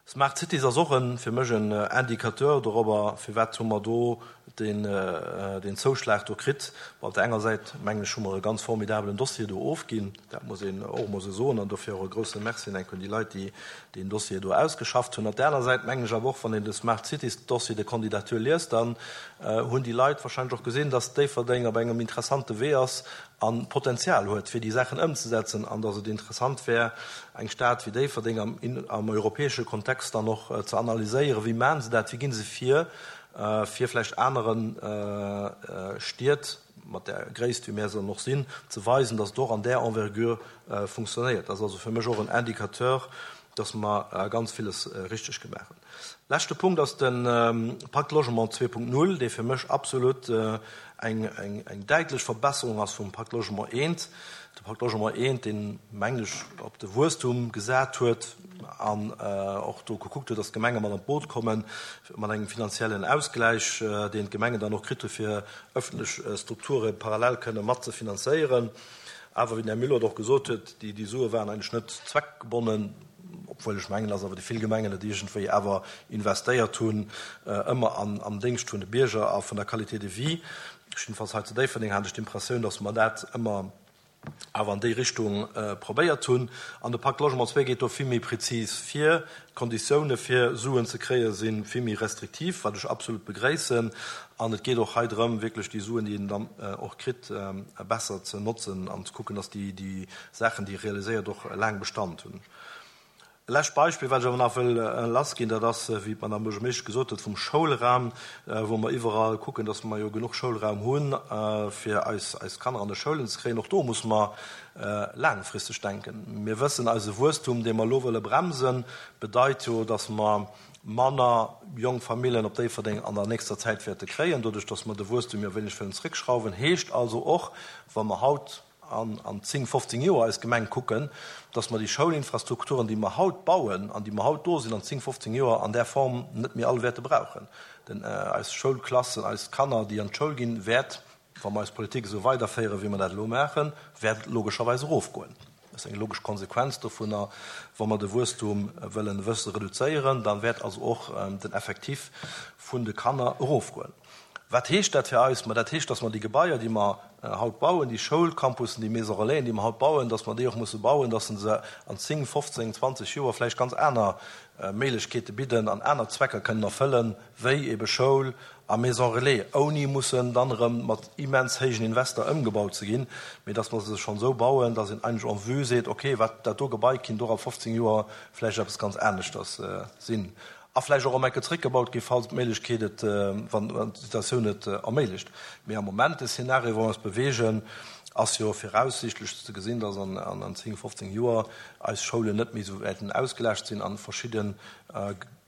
Smart Cities ass och en, fir mech en Indicateur dorobber, firwat hu mer do deen, deen Zouschlag do kritt. Bon, op der enger Säit, mengen ech, hu mer e ganz formidabelen Dossier do ofginn, dat muss een och emol esou soen, an dofir och e grouse Merci enk un déi Leit, déi deen Dossier do ausgeschafft hunn. Op der aner Säit mengen ech awer och, wann een de Smart Cities Dossier de candidature liest, dann hunn déi Leit wahrscheinlech och gesinn, dass Déifferdeng op engem interessante Wee ass a Potenzial huet, fir déi Saachen ëmzesetzen, an dass et interessant wär, eng Stad wéi Déifferdeng am, am europäesche Kontext dann och ze analyséieren, wéi maachen se dat, wéi gi se vir, fir vläicht anere Stied mat där Gréisst, wéi mär se dann och sinn, ze weisen, dass et och an där Envergure funktionéiert. Dat ass also fir mech och en Indicateur, dass mer ganz villes richteg gemaach hunn. Leschte Punkt ass de Pacte Logement zwee Punkt null, dee fir mech absolut eng eng däitlech Verbesserung ass vum Pacte Logement eent. De Pacte Logement eent, deen, mengen ech, op de Wuesstum gesat huet an och do gekuckt huet, dass d'Gemenge mat an d'Boot kommen, mat engem finanziellen Ausgläich, deen d'Gemengen dann och kritt hu fir öffentlech Strukture parallel kënne mat ze finanzéieren. Awer, wéi den Här Müller et och gesot huet, déi Sue waren eigentlech net zweckgebonnen, obwuel ech mengen, dass awer déi vill Gemengen et iergendwéi awer investéiert hunn, ëmmer am Déngscht vun de Bierger a vun der Qualité de vie. Jiddefalls hei zu Déifferdeng hat ech d'Impressioun, dass mer dat ëmmer awer an déi Richtung probéiert hunn. An de Pacte Logement zwee geet do vill méi prezis vir. D'Konditioune fir Suen ze kréie si vill méi restriktiv, wat ech absolut begréissen. An et geet och hei drëm, wierklech déi Suen, déi een dann och kritt, besser ze notzen an ze kucken, dass déi Saachen, déi ee realiséiert, och laang Bestand hunn. E lescht Beispill, wat ech awer nach wëll lassginn, dat ass, wéi d'Madame Buergermeeschtesch gesot huet, vum Schoulraum, wou mer iwwerall kucken, dass mer jo genuch Schoulraum hunn, fir eis, eis Kanner an de Schoulen ze kréien. Och do musse mer laangfristeg denken. Mir wëssen, eise Wuesstum, dee mer elo wëlle bremsen, bedeit jo, dass mer manner jonk Familljen op Déifferdeng an der nächster Zäit wäerte kréien, doduerch dass mer de Wuesstum jo e wéineg wëllen zréckschrauwen. Heescht also och, wa mer haut an an zéng, fofzéng Joer eis Gemeng kucken, dass mer déi Schoulinfrastrukturen, déi mer haut bauen an déi mer haut do sinn, an zéng, fofzéng Joer an där Form net méi all wäerte brauchen. Denn eis Schoulklassen, eis Kanner, déi an d'Schoul ginn, wäert, wa mer eis Politik esou weiderféieren, wéi mer dat elo maachen, wäert logescherweis erofgoen. Dat ass eng logesch Konsequenz dovunner. Wa mer de Wuesstum wëllen e bësse reduzéieren, dann wäert also och den Effectif vun de Kanner erofgoen. Wat heescht dat fir eis? Ma dat heescht, dass mer déi Gebaier, déi mer haut bauen, déi Schoulcampussen, déi Maisons relaisen, déi mer haut bauen, dass mer déi och musse bauen, dass se an zéng, fofzéng, zwanzeg Joer vläicht ganz aner Méiglechkeete bidden an aner Zwecker kënnen erfëllen, wéi ebe Schoul a Maison relais, ouni mussen dann erëm mat immens héijen Invester ëmgebaut ze ginn, mee dass mer se schonn esou bauen, dass een eigentlech en vue seet, okay, wat dat do Gebai kinnt och a fofzéng Joer vläicht eppes ganz aneschters sinn. A vläicht och erëm eng Kéier zréckgebaut ginn, falls d'Méiglechkeet et, wann d'Situatioun et erméiglecht. Mee am Moment, de Szenario, wou mer eis beweegen, ass jo viraussiichtlech ze gesinn, dass an zéng, fofzéng Joer eis Schoulen net méi esou wäerten ausgelaascht sinn a verschidde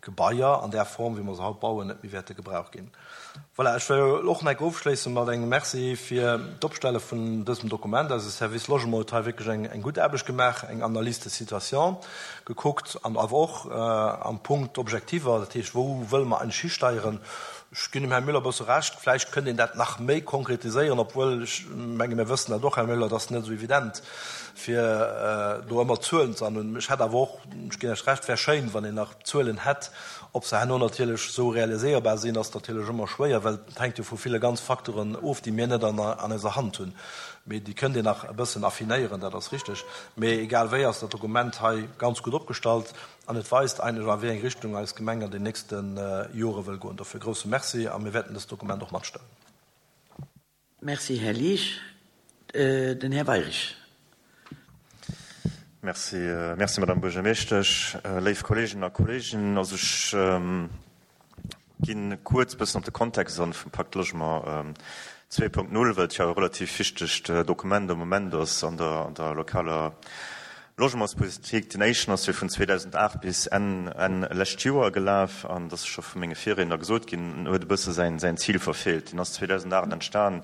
Gebaier an där Form, wéi mer se haut bauen, net méi wäerte gebraucht ginn. Voilà, ech wëll och nach eng Kéier ofschléisse mat engem Merci fir d'Opstelle vun dësem Dokument. Eise Service Logement huet hei wierklech eng, eng gutt Aarbecht gemaach, eng Analyse de situation gekuckt an awer och am Punkt Objektiver, dat heescht, wou wëlle mer eigentlech histeieren. Ech ginn dem Här Müller e bësse Recht, vläicht kënnt een dat nach méi konkretiséieren, obwuel ech menge mir wëssen dat och, Här Müller, et ass net esou evident, fir do ëmmer Zuelen ze an. Ech hätt awer och, ech ginn Iech Recht, wär schéin, wann een nach Zuelen hätt. Ob se herno natierlech esou realiséierbar sinn, ass natierlech ëmmer schwéier, well et hänkt jo vu ville ganz Facteuren of, déi mir net an eiser Hand hunn. Mee déi kënnt een nach e bëssen affinéieren, dat ass richteg. Mee egal wéi ass dat Dokument hei ganz gutt opgestallt an et weist eigentlech, a wéi eng Richtung eis Gemeng an den nächste Jore wëll goen. Dofir grousse Merci a mir wäerten dëst Dokument och matstëmmen. Merci, Här Liesch. Den Här Weirich. Merci, merci Madame Buergermeeschtesch, léif Kolleeginnen a Kolleegen. Also ech ginn kuerz bëssen op de Kontext an vum Pacte Logement zwee Punkt null, well et jo e relativ wichtegt Dokument am Moment ass an der, an der lokaler Logementspolitik. Den éischten ass jo vun zweedausendacht bis Enn, Enn lescht Joer gelaf an, dat ass scho vu menge Virriedner gesot ginn, huet e bësse säin, säin Zil verfeelt. Deen ass zweedausendacht entstan,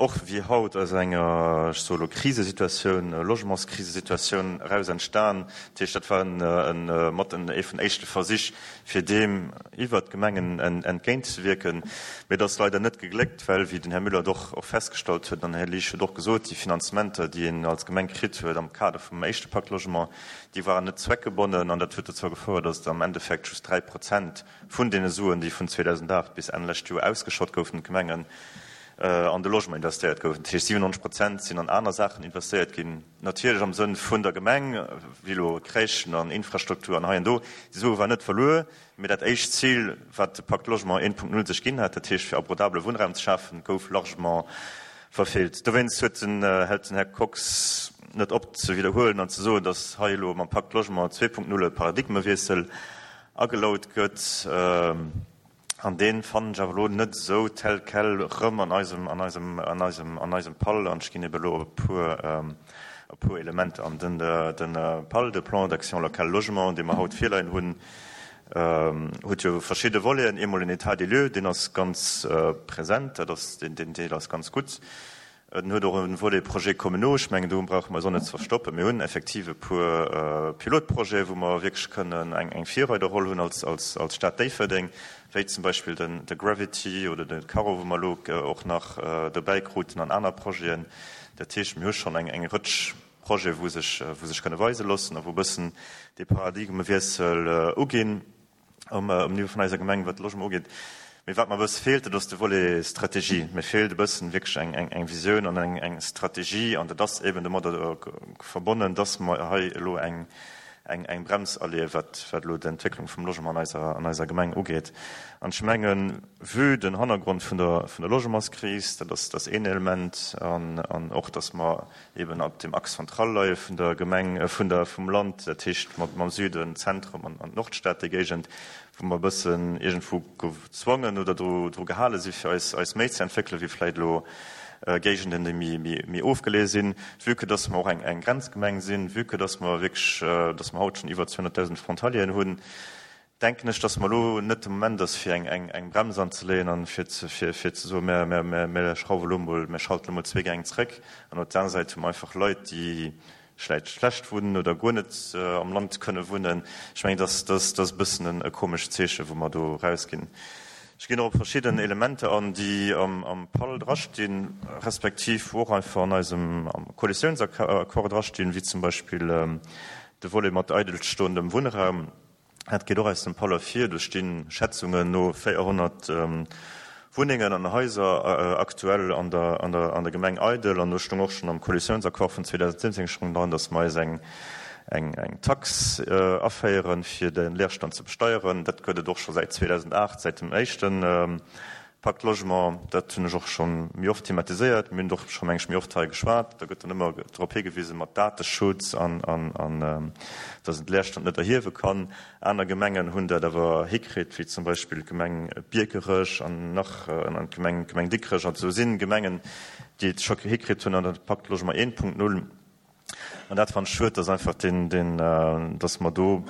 och wéi haut aus enger, ech soe lo, Krisesituatioun, Logementskrisesituatioun eraus entstan. Dat heescht, dat war en, mat en, ee vun éischte Versich, fir deem iwwert d'Gemengen entgéintzewierken. Mee et ass leider net gegléckt, well, wéi den Här Müller et och, och festgestallt huet, an den Här Liesch huet och gesot, déi Finanzementer, déi een als Gemeng kritt huet am Kader vum éischte Pacte Logement, déi waren net zweckgebonnen. An dat huet dozou gefouert, datt am Endeffekt just dräi Prozent vun deene Suen, déi vun zweedausendacht bis Enn lescht Joer ausgeschott goufen, d'Gemengen, an de Logement investéiert goufen. Dat heescht, siwenneunzeg Prozent sinn an aner Saachen investéiert ginn, natierlech am Sënn vun der Gemeng, wéi elo Crèchen an Infrastruktur an hei an do. Déi Sue waren net verluer, mee dat éischt Zil, wat de Pacte Logement een Punkt null sech ginn hat, dat heescht fir abordabele Wunnraum ze schafen, gouf largement verfeelt. Dowéinst huet den, hält den Här Kox net op ze widderhuelen an ze soen, datt hei elo mam Pacte Logement zwee Punkt null e Paradigmewiessel agelaut gëtt. An dee fannen ech awer elo net esou tel quel erëm an eisem, an eisem, an eisem, an eisem PAL. An ech ginn ebe elo op e puer, e puer Elementer an. Den, den PAL, de Plan d'action locale logement, dee mer haut virleien hunn, huet jo verschidde Voleten. Eemol en État des lieux, deen ass ganz present, dat ass, deen, deen Deel ass ganz gutt. En huet och e Volet Projets communaux. Ech mengen, do brauche mer eis och net ze verstoppen. Mir hunn effektiv e puer Pilotprojete, wou mer wierklech kënnen eng, eng Virreiderroll hunn als, als, als Stad Déifferdeng, wéi zum Beispill den, de Gravity oder de Caro, wou mer elo och nach dobäi kruten, an aner Projeten. Dat heescht, mir hu schonn eng, eng Rëtsch Projete, wou sech, wou sech kënne weise loossen a wou e bëssen dee Paradigmewiessel uginn um, um Niveau vun eiser Gemeng, wat de Logement ugeet. Mee wat mer e bësse feelt, dat ass de Volet Strategie. Mir feelt e bëssen wierklech eng, eng, eng Visioun an eng, eng Strategie. An dat ass eben domadder verbonnen, dass mer hei elo eng, eng, eng Brems erliewen, wat, wat elo d'Entwécklung vum Logement an eiser, an eiser Gemeng ugeet. An ech mengen, vue den Hannergrond vun der, vun der Logementskris, dat ass, dat ass een Element, an, an och, dass mer eben op dem Axe central leie vun der Gemeng, vun der, vum Land, dat heescht mat, mam Süden, Zentrum an, an d'Nordstad, déi Géigend, wou mer e bëssen iergendwou gezwongen oder dru, dru gehale si fir eis, eis méi ze entwéckelen, wéi vläicht elo Géigenden, déi méi, méi, méi ofgeleeë sinn, vue que dass mer och eng, eng Grenzgemeng sinn, vue que dass mer wierklech, dass mer haut schonn iwwer zweehonnertdausend Frontalieren hunn, denken ech, dass mer elo net de Moment ass, fir eng, eng, eng Brems anzeleeën an fir ze, fir, fir ze soen, mir, mir, mir, mir schrauwe elo mol, mir schalten elo mol zwee Gäng zréck. An op der aner Säit hu mer einfach Leit, déi vläicht schlecht wunnen oder guer net am Land kënne wunnen. Ech mengen, dass, dass, dass e bëssen e komescht Zeeche wou mer do erausginn. Ech ginn och op verschidden Elementer an, déi am, am PAL drastinn, respektiv wou och einfach an eisem am Koalitiounsaccord drastinn, wéi zum Beispill de Volet mat eidelstoendem Wunnraum. Dat geet och aus dem PAL ervir. Do stinn Schätzungen no véierhonnert Wunnengen an Haiser aktuell an der, an der, an der Gemeng eidel. An do stoung och schonn am Koalitiounsaccord vun zweedausendsiwwenzéng stoung dran, datt mer eis eng, eng, eng Tax aféieren, fir de Leerstand ze besteieren. Dat gëtt et och scho säit zweedausendaacht, säit dem éischte Pacte Logement. Dat hunn ech och scho méi oft thematiséiert. Mir hunn och scho, meng ech, méi oft hei geschwat. Da gëtt dann ëmmer drop higewisen mat Dateschutz an, an, an datt een de Leerstand net erhiewe kann. Aner Gemengen hunn dat awer hikritt, wéi zum Beispill d'Gemeng Biekerech an nach an d'Gemeng, d'Gemeng Dikrech. Also sinn Gemengen, déi et scho hikritt hunn an der Pacte Logement eent Punkt null. An dat fannen ech schued, dass einfach den, den, dass mer do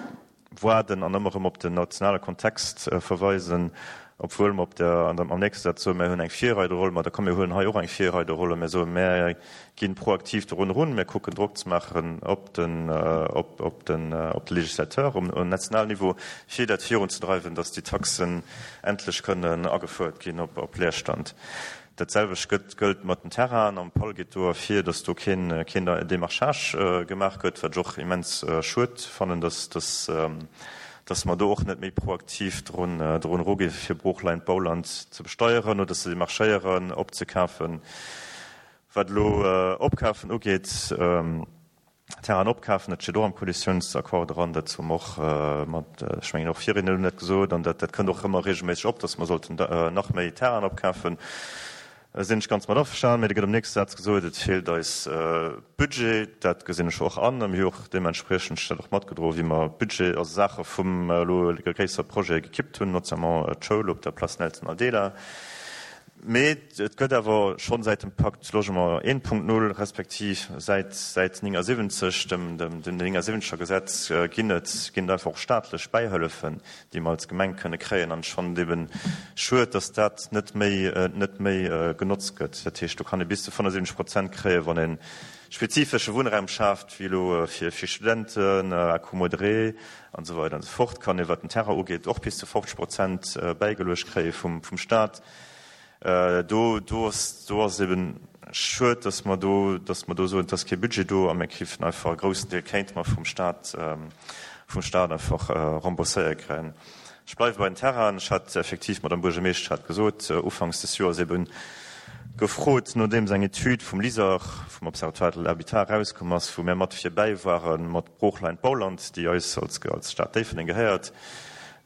waarden an ëmmer erëm op den nationale Kontext verweisen, obwuel mer op der, an der, am nächste Saz soen, mir hunn eng Virreiderroll, ma da komm mir huelen hei och eng Virreiderroll a mir soen, mir ginn proaktiv dorun erun, mir kucken Drock ze maachen op den, op, op den, op de Législateur um, um nationalen Niveau, fir dat virunzedreiwen, dass déi Taxen endlech kënnen agefouert ginn op, op Leerstand. Dat selwecht gëtt, gëllt mat den Terrainen. Am PAL geet do ervir, dass do keen, keen Démarchage gemaach gëtt, wat ech och immens schued fannen, dass, dass, dass mer do och net méi proaktiv drun, drun eruginn, fir Broochland, Bauland ze besteieren oder ze demarchéieren, opzekafen. Wat elo Opkafen ugeet, Terrainen opkafen, dat steet och am Koalitiounsaccord dran, dat hu mer och mat, ech mengen och Virriedner hunn dat gesot, an dat, dat kënnt och ëmmer regelméisseg op, dass mer sollten nach méi Terrainen opkafen. Sinn ech ganz mat averstanen, mee da gëtt am nächste Saz gesot, et feelt eis Budget. Dat gesinn ech och an a mir hu och deementspriechend dat och matgedroen, wéi mer Budget, also Saache vum elo gréisser Projet gekippt hunn, notamment d'Schoul op der Place Nelson Mandela. Mee et gëtt awer schonn säit dem Pacte Logement eent Punkt null, respektiv säit säit néngasiwwenzeg, dem dem dem néngasiwwenzeger Gesetz, ginn et ginn et einfach och staatlech Bäihëllefen, déi mer als Gemeng kënne kréien. An ech fannen et eben schued, datt dat net méi net méi genotzt gëtt. Dat heescht, do kann ee bis zu fënnefundsiwwenzeg Prozent kréien, wann ee spezifesche Wunnraum schaaft, wéi elo fir fir Studenten, Accommodré an esou weider an esou fort, kann ee wat den Terrain ugeet och bis zu fofzeg Prozent bäigeluecht kréie vum vum Staat. Do, do ass, do ass eben schued, dass mer do, dass mer do soen, et ass kee Budget do a mir krifen einfach e groussen Deel kéinte mer vum Staat, vum Staat einfach rembourséiert kréien. Ech bleiwe bei den Terrainen. Ech hat effektiv, d'Madame Buergermeeschtesch hat gesot, ufanks des Joers eben gefrot, nodeems eng Etüd vum LISER, vum Observatoire de l'habitat erauskomm ass, wou mir mat virbäi ware mat Broochland Bauland, déi eis als, als Stad Déifferdeng gehéiert.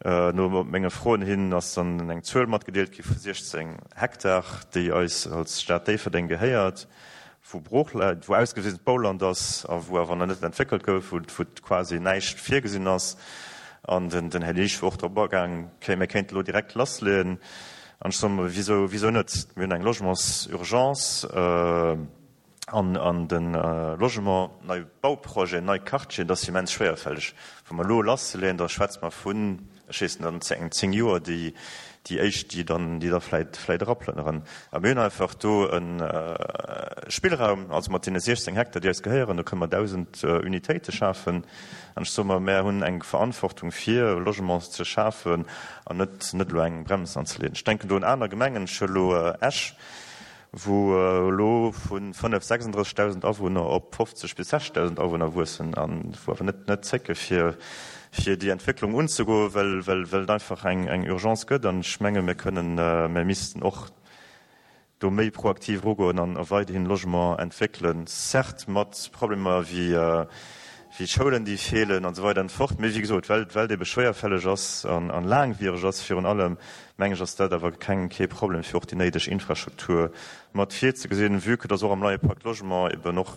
No menge Froen hin ass dann eng Zuel matgedeelt gi vu siechzéng Hektar, déi eis als Stad Déifferdeng gehéiert, wou Brooch läit, wou ausgewisent Bauland ass a wou awer nach net entwéckelt gouf, wou, wou quasi näischt virgesinn ass. An den, den Här Liesch wor och drop agaang, okay, mir kéinte lo direkt lassleeën. An ech soe mer, wisou, wisou net? Mir hunn eng Logementsurgence an, an de Logement, nei Bauprojeten, nei Quartieren, dat ass immens schwéierfälleg. Wa mer elo lassleeën, da schwätze mer vun, ech weess net, an engem zéng Joer, déi, déi éischt, déi dann, déi da vläit, vläit eraplënneren. A mir hunn einfach do e Spillraum, also mat deene siechzéng Hektar, déi eis gehéieren, do kënne mer dausend Unitéite schafen. An ech soe mer, mär hunn eng Verantwortung, fir Logement ze schafen an net, net elo eng Brems anzeleeën. Ech denken do un aner Gemengen, ech huele elo Esch, wou elo vu fënnef, sechsunddrëssegdausend Awunner op fofzeg bis sechzegdausend Awunner wuessen an wou awer net, net zécke fir, fir déi Entwécklung unzegoen, well, well, well et einfach eng, eng Urgence gëtt. An ech menge mir kënnen, mir missten och do méi proaktiv erugoen an a weiderhin Logement entwéckelen, certes mat Problemer wéi, wéi Schoulen, déi feelen an esou weider an esou fort. Mee wéi gesot, well, well et ebe schwéierfälleg ass an, an laangwiereg ass virun allem, meng ech, ass dat awer keng, kee Problem, fir och déi néideg Infrastruktur mat virzegesinn, vue que dass och am neie Pacte Logement eben och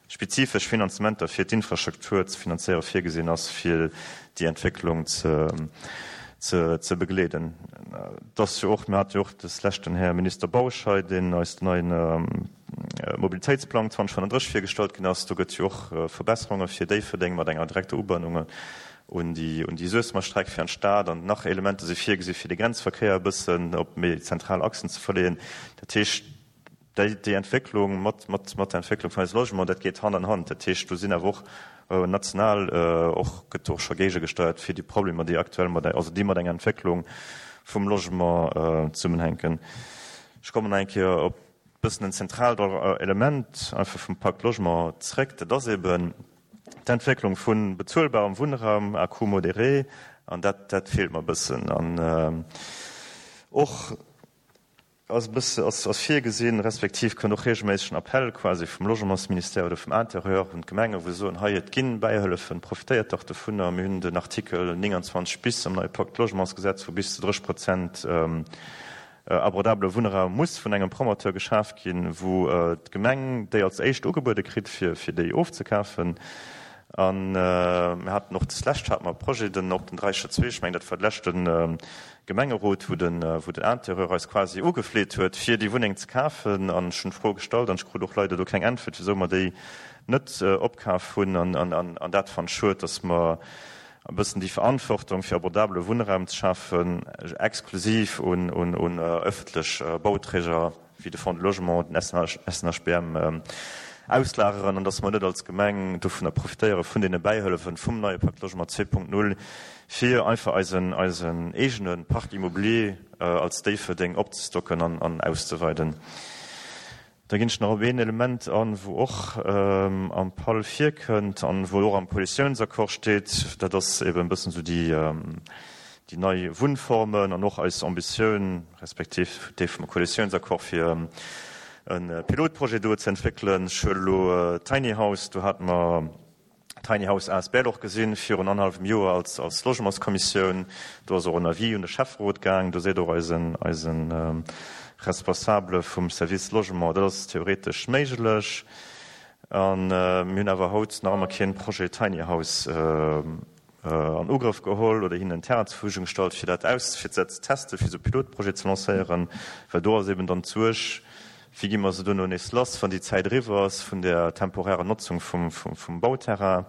spezifesch Finanzementer fir d'Infrastruktur ze finanzéiere virgesinn ass, fir déi Entwécklung ze, ze, ze begleeden. Et ass jo och, mir hate jo och des Lescht den Här Minister Bausch hei, deen eis den neien Mobilitéitsplang zwanzeg fënnenddrësseg virgestallt ginn ass. Do gëtt jo och Verbesserunge fir Déifferdeng mat enger direkter Ubannung un déi, un déi Suessemer Streck fir an d'Stad an nach Elementer si virgesi fir de Grenzverkéier e bëssen op méi zentral Achsen ze verleeën. Dat heescht, déi, déi Entwécklung mat, mat, mat der Entwécklung vun eise Logement, dat geet Hand an Hand. Dat heescht, do sinn awer och national och, gëtt och scho géigegesteiert fir déi Problemer, déi aktuell mat, also déi mat enger Entwécklung vum Logement zesummenhänken. Ech kommen nach eng Kéier op e bëssen en zentraalt Element einfach vum Pacte Logement zréck, dat ass eben d'Entwécklung vu bezuelbarem Wunnraum à coût modéré, an dat, dat feelt mer e bëssen. An och ass e bësse, ass, ass virgesinn, respektiv kënnt och regelméisseg en Appell quasi vum Logementsministère oder vum Intérieur un d'Gemenge wou se soen, hei et ginn Bäihëllefen, profitéiert dach dovunner. Mir hunn den Artikel nénganzwanzeg bis am neie Pacte Logementsgesetz, wou bis zu drësseg Prozent abordabele Wunnraum muss vun engem Promoteur geschaf ginn, wou d'Gemeng déi als éischt ugebuede kritt, fir, fir déi ofzekafen. An mir haten och deslescht hate mer e Projet, den op den Dräicher zwee, ech mengen dat war de leschte Gemengerot, wou den, wou den Intérieur eis quasi ugefleet huet, fir déi Wunneng ze kafen. An ech hunn d'Fro gestallt an ech krut och leider do keng Äntwert, wisou mer déi net opkaf hunn. An, an, an, an dat fannen ech schued, dass mer e bëssen déi Verantwortung, fir abordabele Wunnraum ze schafen, exklusiv un, un, un öffentlech Bauträger wéi de Fonds de Logement, den S N H B M auslageren an dass mer net als Gemeng dovunner profitéiere vun deene Bäihëllefen vum neie Pacte Logement zwee Punkt null, fir einfach eisen, eisen eegene Parc immobilier als Déifferdeng opzestocken an, an auszeweiden. Da ginn ech nach op een Element an, wou och am PAL virkënnt an wou och am Koalitiounsaccord steet, dat ass eben e bëssen esou déi, déi nei Wunnformen an och eis Ambitioun, respektiv déi vum Koalitiounsaccord, fir e Pilotprojet do ze entwéckelen. Ech huele elo Tiny House, do hate mer Tiny House A S B L och gesinn virun annerhallwem Joer als, als Logementskommissioun. Do ass och en Avis un de Schäfferot gaang. Do seet och eisen, eisen Responsabele vum Service Logement, dat ass theoretesch méiglech. A mir hunn awer haut nach ëmmer keen Projet Tiny House an Ugrëff geholl oder hinnen en Terrain zur Verfügung gestallt, fir dat aus, fir dat ze testen, fir esou e Pilotprojet ze lancéieren. Well do ass eben dann d'Suerg, wéi gi mer se duerno nees lass, wann déi Zäit eriwwer ass vun der temporärer Notzung vum, vum, vum Bauterrain.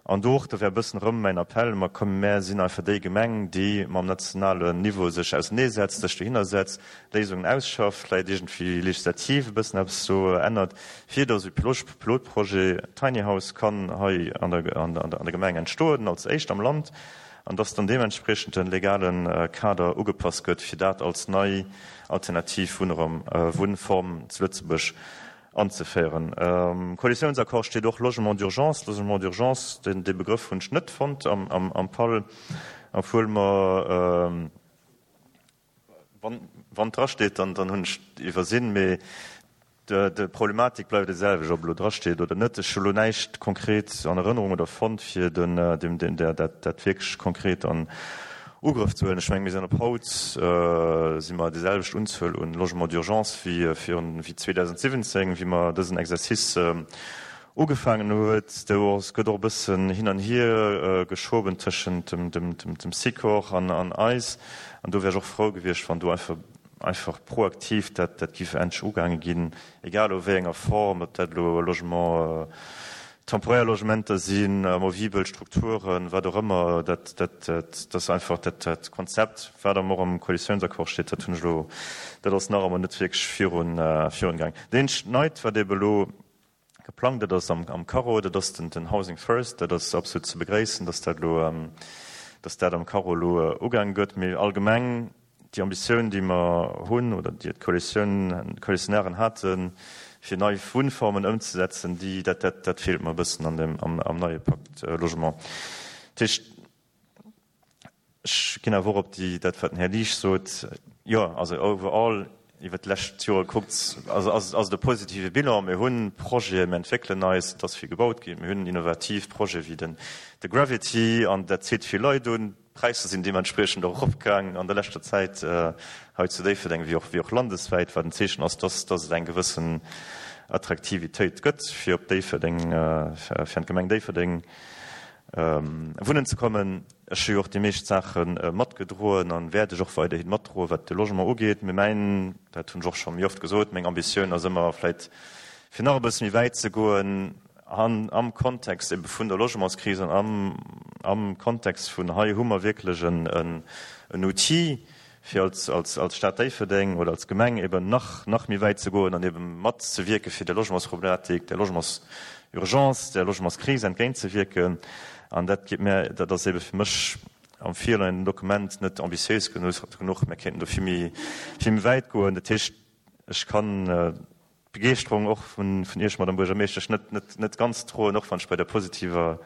An do och, do wär e bëssen erëm mäin Appell, mer kommen, mär sinn einfach déi Gemeng, déi mam nationalen Niveau sech auseneesetzt, sech dohinner setzt, Léisungen ausschafft, vläicht iergendwéi legislativ e bëssen eppes do ännert, fir datt e Pilotprojet Tiny House kann hei an der, an der, an der Gemeng entstoen, als éischt am Land, an datt dann deementspriechend de legale Kader ugepasst gëtt, fir dat als nei alternativ Wunnraum, Wunnform zu Lëtzebuerg anzeféieren. Am Koalitiounsaccord steet och Logement d'urgence. Logement d'urgence, deen, dee Begrëff hunn ech net fonnt am, am, am PAL, obwuel mer, wann, wann drasteet, dann, dann hunn ech iwwersinn, mee de, de Problematik bleift déi selwecht, ob elo drasteet oder net. Ech hu lo näischt konkret an Erënnerung oder fonnt, fir den, dem, den, der, dat, dat wierklech konkret an Ugrëff ze huelen. Ech menge mir sinn op haut si mer déi selwecht Unzuel un Logement d'urgence wéi virun, wéi zweedausentsiwwenzéng, wéi mer dësen Exercice ugefaangen huet. Do ass, gëtt och e bëssen hin an hier geschoben tëschent dem, dem, dem, dem Sikor an, an eis. An do wär ech och frou gewiescht, wann do einfach, einfach proaktiv dat, dat giff endlech ugaange ginn, egal a wéi enger Form, ob dat elo Logement, temporär Logementer sinn, amovibel Strukturen, wat och ëmmer, dat, dat, dat, dat einfach dat, dat Konzept, wat am och am Koalitiounsaccord steet, dat hunn ech elo, dat ass nach ëmmer net wierklech virun, virun gaang. Dat eenzegt Neit, wat ebe elo geplangt, dat ass am, am Carreau, dat ass den, den Housing First, dat ass absolut ze begréissen, dass dat elo, dass dat am Carreau elo ugaange gëtt. Mee allgemeng déi Ambitioun, déi mer hunn oder déi d'Koalitioun, d'Koalitionären haten, fir nei Wunnformen ëmzesetzen, déi, dat, dat, dat feelt mer e bëssen an dem, am, am neie Pakt Logement. Dat heescht, ech ginn awer och op déi, dat wat den Här Liesch sot, jo, also overall iwwert d'lescht Jore kuckt, also ass, ass et e positive Bilan. Mir hunn Projeten, mir entwéckelen eis, et ass vill gebaut ginn, mir hunn innovativ Projete wéi den, de Gravity an dat zitt vill Leit un. D'Präisser sinn deementspriechend och eropgaangen an der leschter Zäit hei zu Déifferdeng wéi och, wéi och landeswäit, wat en Zeechen ass, dass, dass et eng gewëssen Attraktivitéit gëtt, fir op Déifferdeng, fir an d'Gemeng Déifferdeng wunnen ze kommen. Ech hu jo och déi meescht Saache matgedroen a wäert ech och weiderhi matdroen, wat de Logement ugeet. Mee mäin, dat hunn ech och scho méi oft gesot, meng Ambitioun ass ëmmer vläicht fir nach e bësse méi wäit ze goen, An am Kontext ebe vun der Logementskris an am, am Kontext vun hei hu mer wierklech en, en, en Outil, fir als, als, als Stad Déifferdeng oder als Gemeng eben nach, nach méi wäit ze goen an eben matzewierke fir der Logementsproblematik, der Logementsurgence, der Logementskris entgéintzewierken. An dat geet mir, dat ass ebe fir mech am virleienden Dokument net ambitiéis genuch. Mir kéinten do vill méi, vill méi wäit goen. Dat heescht, ech kann d'Begeeschterung och vun Iech, Madame Buergermeeschtesch, net, net, net ganz droen, och wann ech bei der positiver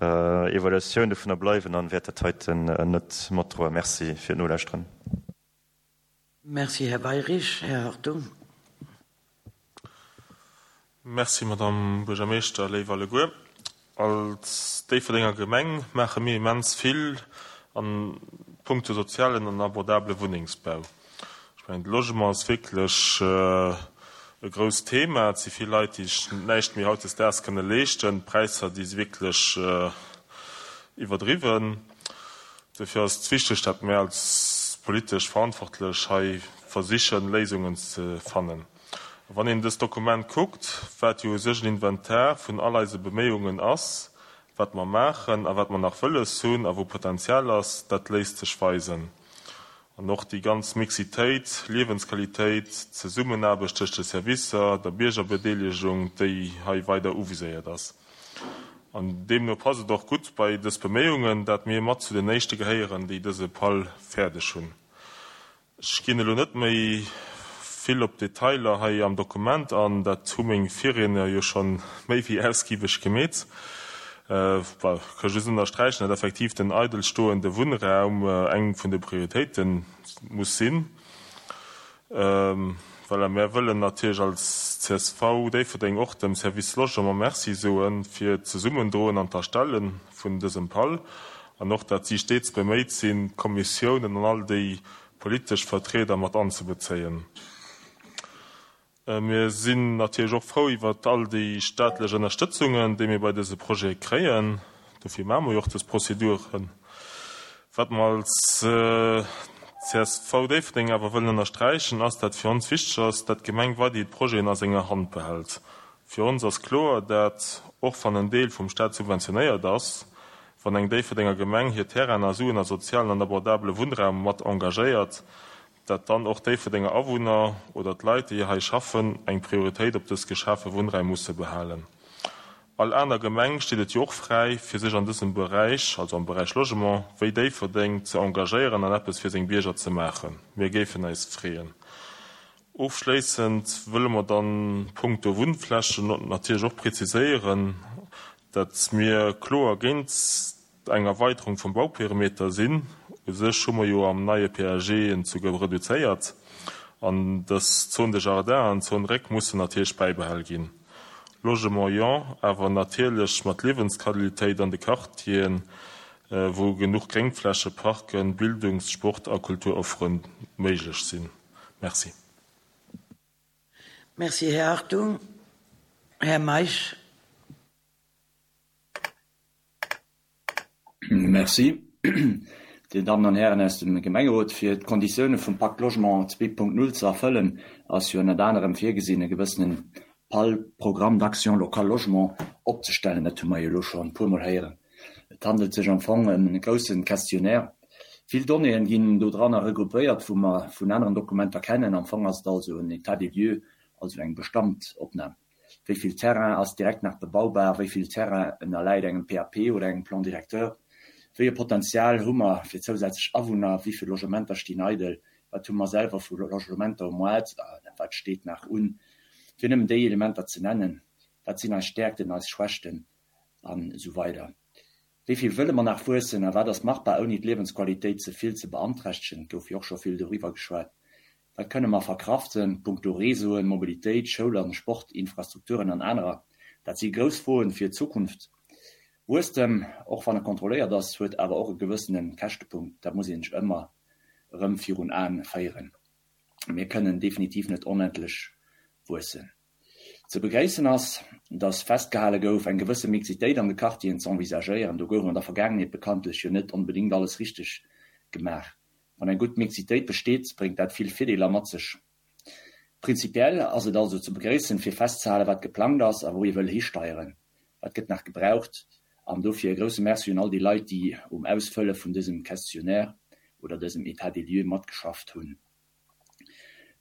Evaluatioun dovunner bleiwen an wäert dat heiten net matdroen. Merci fir d'Nolauschteren. Merci, Här Weyrich. Här Hartung. Merci, Madame Buergermeeschter. Léif alleguer, als Déifferdenger Gemeng maache mir immens vill a punkto sozialen an abordabele Wunnengsbau. Ech mengen, de Logement ass wierklech e grousst Thema. Et si vill Leit, déi sech näischt méi hautdesdaags kënne leeschten. D'Präisser, déi si wierklech iwwerdriwwen. Dofir ass et wichteg, datt mir als politesch Verantwortlech hei versichen, Léisungen ze fannen. A wann een dëst Dokument kuckt, wat jo u sech en Inventar vun all eise Beméiungen ass, wat mer maachen a wat mer nach wëlles hunn a wou Potenzial ass, dat léisst sech weisen. An och déi ganz Mixitéit, Liewensqualitéit, d'Zesummenaarbecht tëscht de Servicer, der Biergerbedeelegung, déi hei weider uviséiert ass. An deemno passt et och gutt bei dës Beméiungen, dat mir mat zu den éischte gehéieren, déi dëse PAL fäerdeg hunn. Ech ginn elo net méi vill op d'Detailer hei am Dokument an, dat hu meng Virriedner jo scho méi wéi ausgiebeg gemeet. Ech ka just ënnersträichen, datt effektiv den eidelstoende Wunnraum eng vun de Prioritéite muss sinn. Voilà, mär wëllen natierlech als csv Déifferdeng och dem Service Logement Merci soe fir d'Zesummendroen an d'Erstelle vun dësem PAL an och, datt si stets beméit sinn, d'Kommissiounen an all déi politesch Vertrieder mat anzebezéien. Mir sinn natierlech och frou iwwert all déi staatlech Ënnerstëtzungen, déi mir bei dëse Projete kréien. Dofir maache mer jo och dës Prozeduren. Wat mer als csv Déifferdeng awer wëllen ënnersträichen, ass, dat fir ons wichteg ass, dat d'Gemeng weiderhi d'Projeten a senger Hand behält. Fir ons ass kloer, dat, och wann en Deel vum Staat subventionéiert ass, wann eng Déifferdenger Gemeng hir Terrainen a Suen a sozialen an abordabele Wunnraum mat engagéiert, dat dann och Déifferdenger Awunner oder d'Leit, déi hei schaffen, eng Prioritéit op dës geschafe Wunnraim musse behalen. All aner Gemeng steet et jo och fräi, fir sech an dësem Beräich, also am Beräich Logement, wéi Déifferdeng, ze engagéieren an eppes fir seng Bierger ze maachen. Mir géifen eis freeën. Ofschléissend wëlle mer dann punkto Wunnflächen natierlech och preziséieren, dat mir kloer géint eng Erweiterung vum Bauperimeter sinn. U sech hu mer jo am neie PAG en souguer reduzéiert. An dës Zone de jardin an d'Zone Réck mussen natierlech bäibehal ginn. Logement jo, awer natierlech mat Liewensqualitéit an de Quartieren, wou genuch Gréngfläche, Parken, Bildungs-, Sport a Kulturoffere méiglech sinn. Merci. Merci, Här Hartung. Här Meisch. Merci. Dir Dammen an Hären aus dem Gemengerot, fir d'Konditioune vum Pacte Logement zwee Punkt null ze erfëllen, ass jo ënnert anerem virgesinn, e gewëssenen P A L, Programme d'action locale logement, opzestellen. Dat hu mer jo elo scho e puermol héieren. Et handelt sech am Fong ëm e grousse Questionnaire. Vill Donnéeën ginn do dranner regroupéiert, wou mer vun aneren Dokumenter kennen. Am Fong ass et also en État des lieux, also eng Bestandopnam. Wéi vill Terrain ass direkt nach bebaubar, wéi vill Terrain ënnerläit engem P A P oder engem Plan directeur, wéi e Potenzial hu mer fir zousätzlech Awunner, wéi vill Logementer stinn eidel, wat hu mer selwer vu Logementer um Moart, wat steet nach un, fir nëmmen déi Elementer ze nennen, wat sinn eis Stäerkten, eis Schwächten an esou weider. Wéi vill wëlle mer nach wuessen a wat ass machbar, ouni d'Liewensqualitéit ze vill ze beanträchtegen, et gouf jo och scho vill doriwwer geschwat. Wat kënne mer verkraften, punkto Réseauen, Mobilitéit, Schoul an Sport, Infrastrukturen an anerer? Dat si grouss Froen fir d'Zukunft. Wuesstem, och wann e kontrolléiert ass, huet awer och e gewëssene Käschtepunkt. Dat muss een sech ëmmer erëm virun Aen féieren. Mir kënnen definitiv net onendlech wuessen. Ze begréissen ass, datt festgehale gouf, eng gewësse Mixitéit an de Quartieren ze envisagéieren. Do gouf an der Vergaangenheet bekanntlech jo net onbedéngt alles richteg gemaach. Wann eng gutt Mixitéit besteet, bréngt dat vill Virdeeler mat sech. Prinzipiell ass et also ze begréissen, fir festzehalen, wat geplangt ass a wou ee wëll histeieren. Wat gëtt nach gebraucht? An dofir e grousse Merci un all déi Leit, déi um Ausfëlle vun dësem Questionnaire oder dësem État des lieux matgeschafft hunn.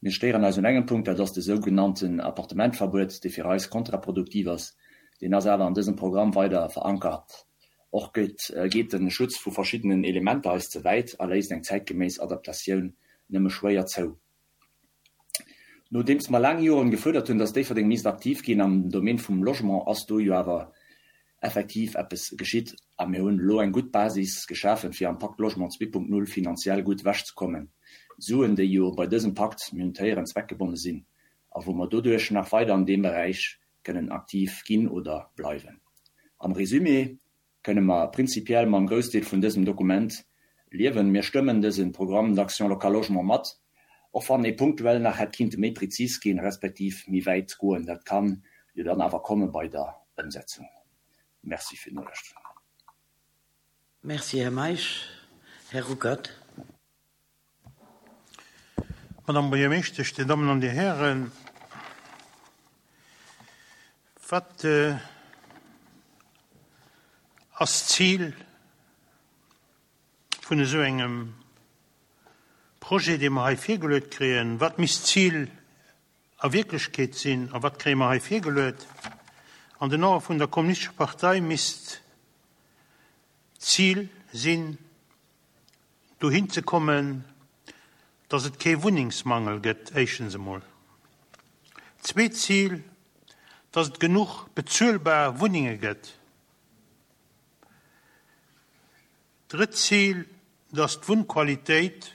Mir stéieren eis un engem Punkt, dat ass de sougenannten Appartementverbuet, dee fir eis kontraproduktiv ass. Deen ass awer an dësem Programm weider verankert. Och geet, geet de Schutz vu verschiddenen Elementer eis ze wäit a léisst eng zäitgeméiss Adaptatioun nëmme schwéier zou. Nodeems mer laang Joren gefuerdert hunn, datt Déifferdeng misst aktiv ginn am Domaine vum Logement, ass do jo awer effektiv eppes geschitt a mir hunn elo eng gutt Basis geschafen, fir am Pacte Logement zwee Punkt null finanziell gutt ewechzekommen. Suen, déi jo bei dësem Pakt, mir hunn d'héieren, zweckgebonne sinn a wou mer doduerch nach weider an deem Beräich kënnen aktiv ginn oder bleiwen. Am Resumé kënne mer prinzipiell mam Groussdeel vun dësem Dokument liewen. Mir stëmmen dëse Programme d'action locale logement mat, och wann e punktuell nach hätt kinnte méi prezis ginn, respektiv méi wäit goen. Dat kann jo dann awer komme bei der Ëmsetzung. Merci fir d'Nolauschterung. Merci, Här Meisch. Här Ruckert. Madame Buergermeeschtesch, Dir Dammen an Dir Hären, wat ass d'Zil vun esou engem Projet, dee mer hei virgeluet kréien? Wat misst d'Zil a Wierklechkeet sinn a wat kréie mer hei virgeluet? An den Ae vun der Kommunistescher Partei misst d'Zil sinn, dohin ze kommen, dass et kee Wunnengsmangel gëtt, éischtens emol. Zweet Zil, dass et genuch bezuelbar Wunnenge gëtt. Drëtt Zil, dass d'Wunnqualitéit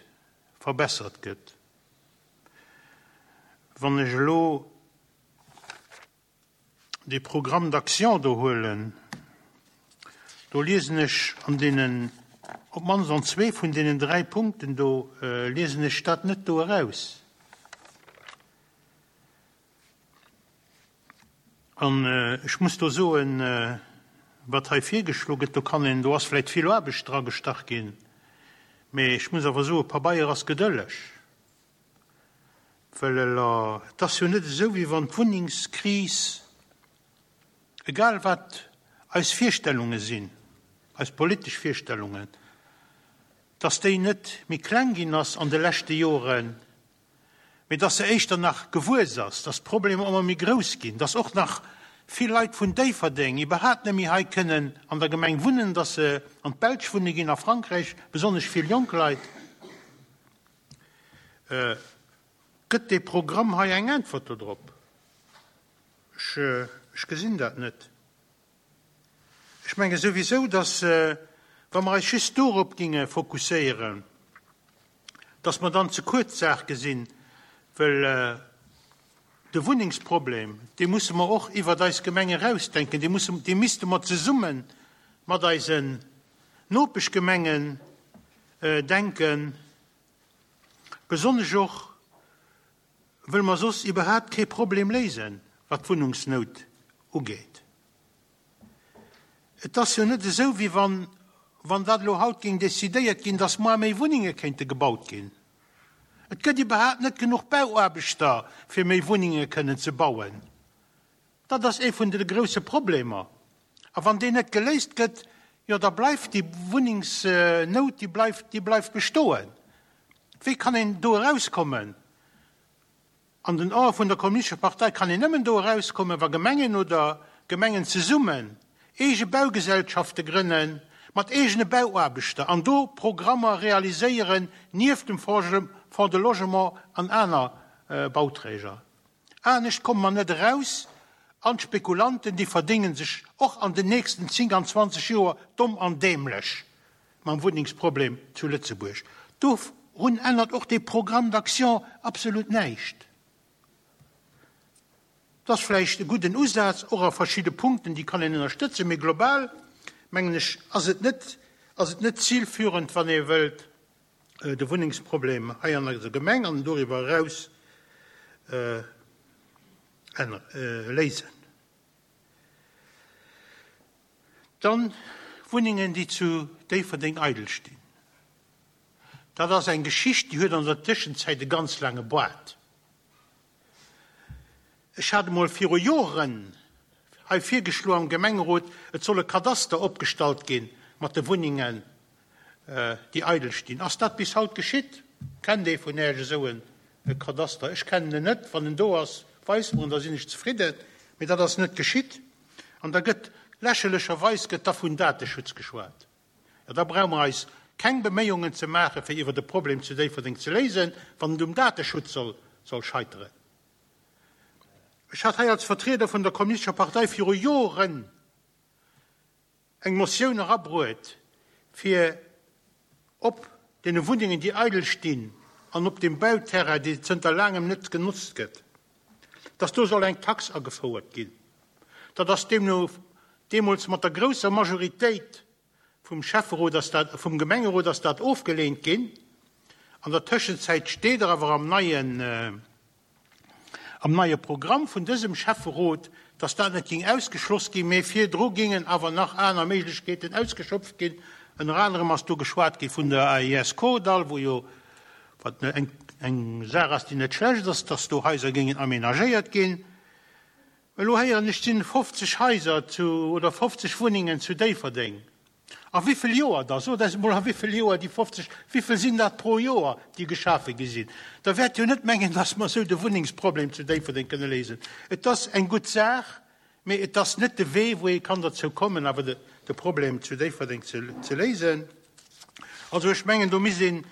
verbessert gëtt. Wann ech elo de Programme d'action do huelen, do liesen ech an deenen, op d'mannst an zwee vun deenen dräi Punkten do, liesen ech dat net do eraus. An ech muss do soen, wat hei virgeschloe gëtt, do kann een, do ass vläicht vill Aarbecht dra gestach ginn, mee ech muss awer soen, Pabeier ass gedëlleg. Well et ass jo net esou, wéi wann d'Wunnengskris, egal wat eis Virstellunge sinn, eis politesch Virstellungen, dass déi net méi kleng ginn ass an de leschte Joren, mee dass se éischter nach gewuess ass, dass d'Problemer ëmmer méi grouss ginn, dass och nach vill Leit vun Déifferdeng iwwerhaapt net méi hei kënnen an der Gemeng wunnen, dass se an d'Belsch wunne ginn, a Frankräich, besonnesch vill jonk Leit. Gëtt dee Programm hei eng Äntwert dodrop? Ech, ech gesinn dat net. Ech menge souwisou, dass, wa mer eis just dorop ginge fokusséieren, dass mer dann ze kuerz d'Saach gesinn, well de Wunnengsproblem, dee musse mer och iwwert eis Gemeng erausdenken, dee musse, dee misste mer zesumme mat eisen Nopeschgemengen denken, besonnesch och, wëll mer soss iwwerhaapt kee Problem léisen, wat d'Wunnungsnout ugeet. Et ass jo net esou, wéi wann wann dat elo haut géing decidéiert ginn, dass muer méi Wunnenge kéinte gebaut ginn. Et gëtt iwwerhaapt net genuch Bauaarbechter, fir méi Wunnenge kënnen ze bauen. Dat ass ee vun de grousse Problemer. A wann deen net geléist gëtt, jo da bleift déi Wunnengsnout, déi bleift, déi bleift bestoen. Wéi kann een do erauskommen? An den Ae vun der Kommunistescher Partei kann een nëmmen do erauskommen, wa Gemengen oder Gemengen zesummen eege Baugesellschafte grënnen, mat eegene Bauaarbechter an do Programmer realiséieren nieft dem Fonds de Logement an aner Bauträger. Anescht komme mer net eraus an d'Spekulanten, déi verdénge sech och an den nächsten zéng an zwanzeg Joer domm an dämlech mam Wunnengsproblem zu Lëtzebuerg. Dorun ännert och dee Programme d'action absolut näischt. Et ass vläicht e gudden Usaz, och a verschidde Punkten, déi kann een ënnerstëtzen, mee global, mengen ech, ass et net, ass et net zilführend, wann ee wëllt de Wunnengsproblem hei an eiser Gemeng an doriwwer eraus léisen. Dann Wunnengen, déi zu Déifferdeng eidel stinn. Dat ass eng Geschicht, déi huet an der Tëschenzäit e ganz laange Boart. Ech hat emol viru Joren hei virgeschloen am Gemengerot, et soll e Kadaster opgestallt gi mat de Wunnengen, déi eidel stinn. Ass dat bis haut geschitt? Kennt ee vun Äech esou e Kadaster? Ech kennen en net. Wann en do ass, weist mer en, da sinn ech zefridden. Mee dat ass net geschitt. An da gëtt, lächerlecherweis gëtt da vun Dateschutz geschwat. Jo, da brauche mer eis keng Beméiungen ze maachen, fir iwwer de Problem zu Déifferdeng ze léisen, wann et um Dateschutz soll scheiteren. Ech hat hei als Vertrieder vun der Kommunistescher Partei viru Joren eng Motioun erabruet, fir op deene Wunnengen, déi eidel stinn, an op deem Bauterrain, dee zënter laangem net genotzt gëtt, dass do soll eng Tax agefouert ginn. Dat ass deemno deemools mat der grousser Majoritéit vum Schäfferot ass dat, vum Gemengerot ass dat ofgeleent ginn. An der Tëschenzäit steet awer am neien, am neie Programm vun dësem Schäfferot, dass dat net géing ausgeschloss ginn, mee virdru géingen awer nach aner Méiglechkeeten ausgeschöpft ginn. Ënner anerem ass do geschwat gi vun der A I S Kordall, wou jo, wat eng, eng Saach ass, déi net schlecht ass, dass do Haiser géingen aménagéiert ginn. Elo héieren ech, et sinn fofzeg Haiser zu, oder fofzeg Wunnengen zu Déifferdeng. A wivill Joer da? Sot eis emol, a wivill Joer déi fofzeg, wivill sinn dat pro Joer, déi geschafe gi sinn? Der wäert jo net mengen, dass mer esou de Wunnengsproblem zu Déifferdeng kënne léisen. Et ass eng gutt Saach, mee et ass net de Wee, wou ee kann derzou kommen, awer de, de Problem zu Déifferdeng ze, ze léisen. Also ech mengen, do misst een,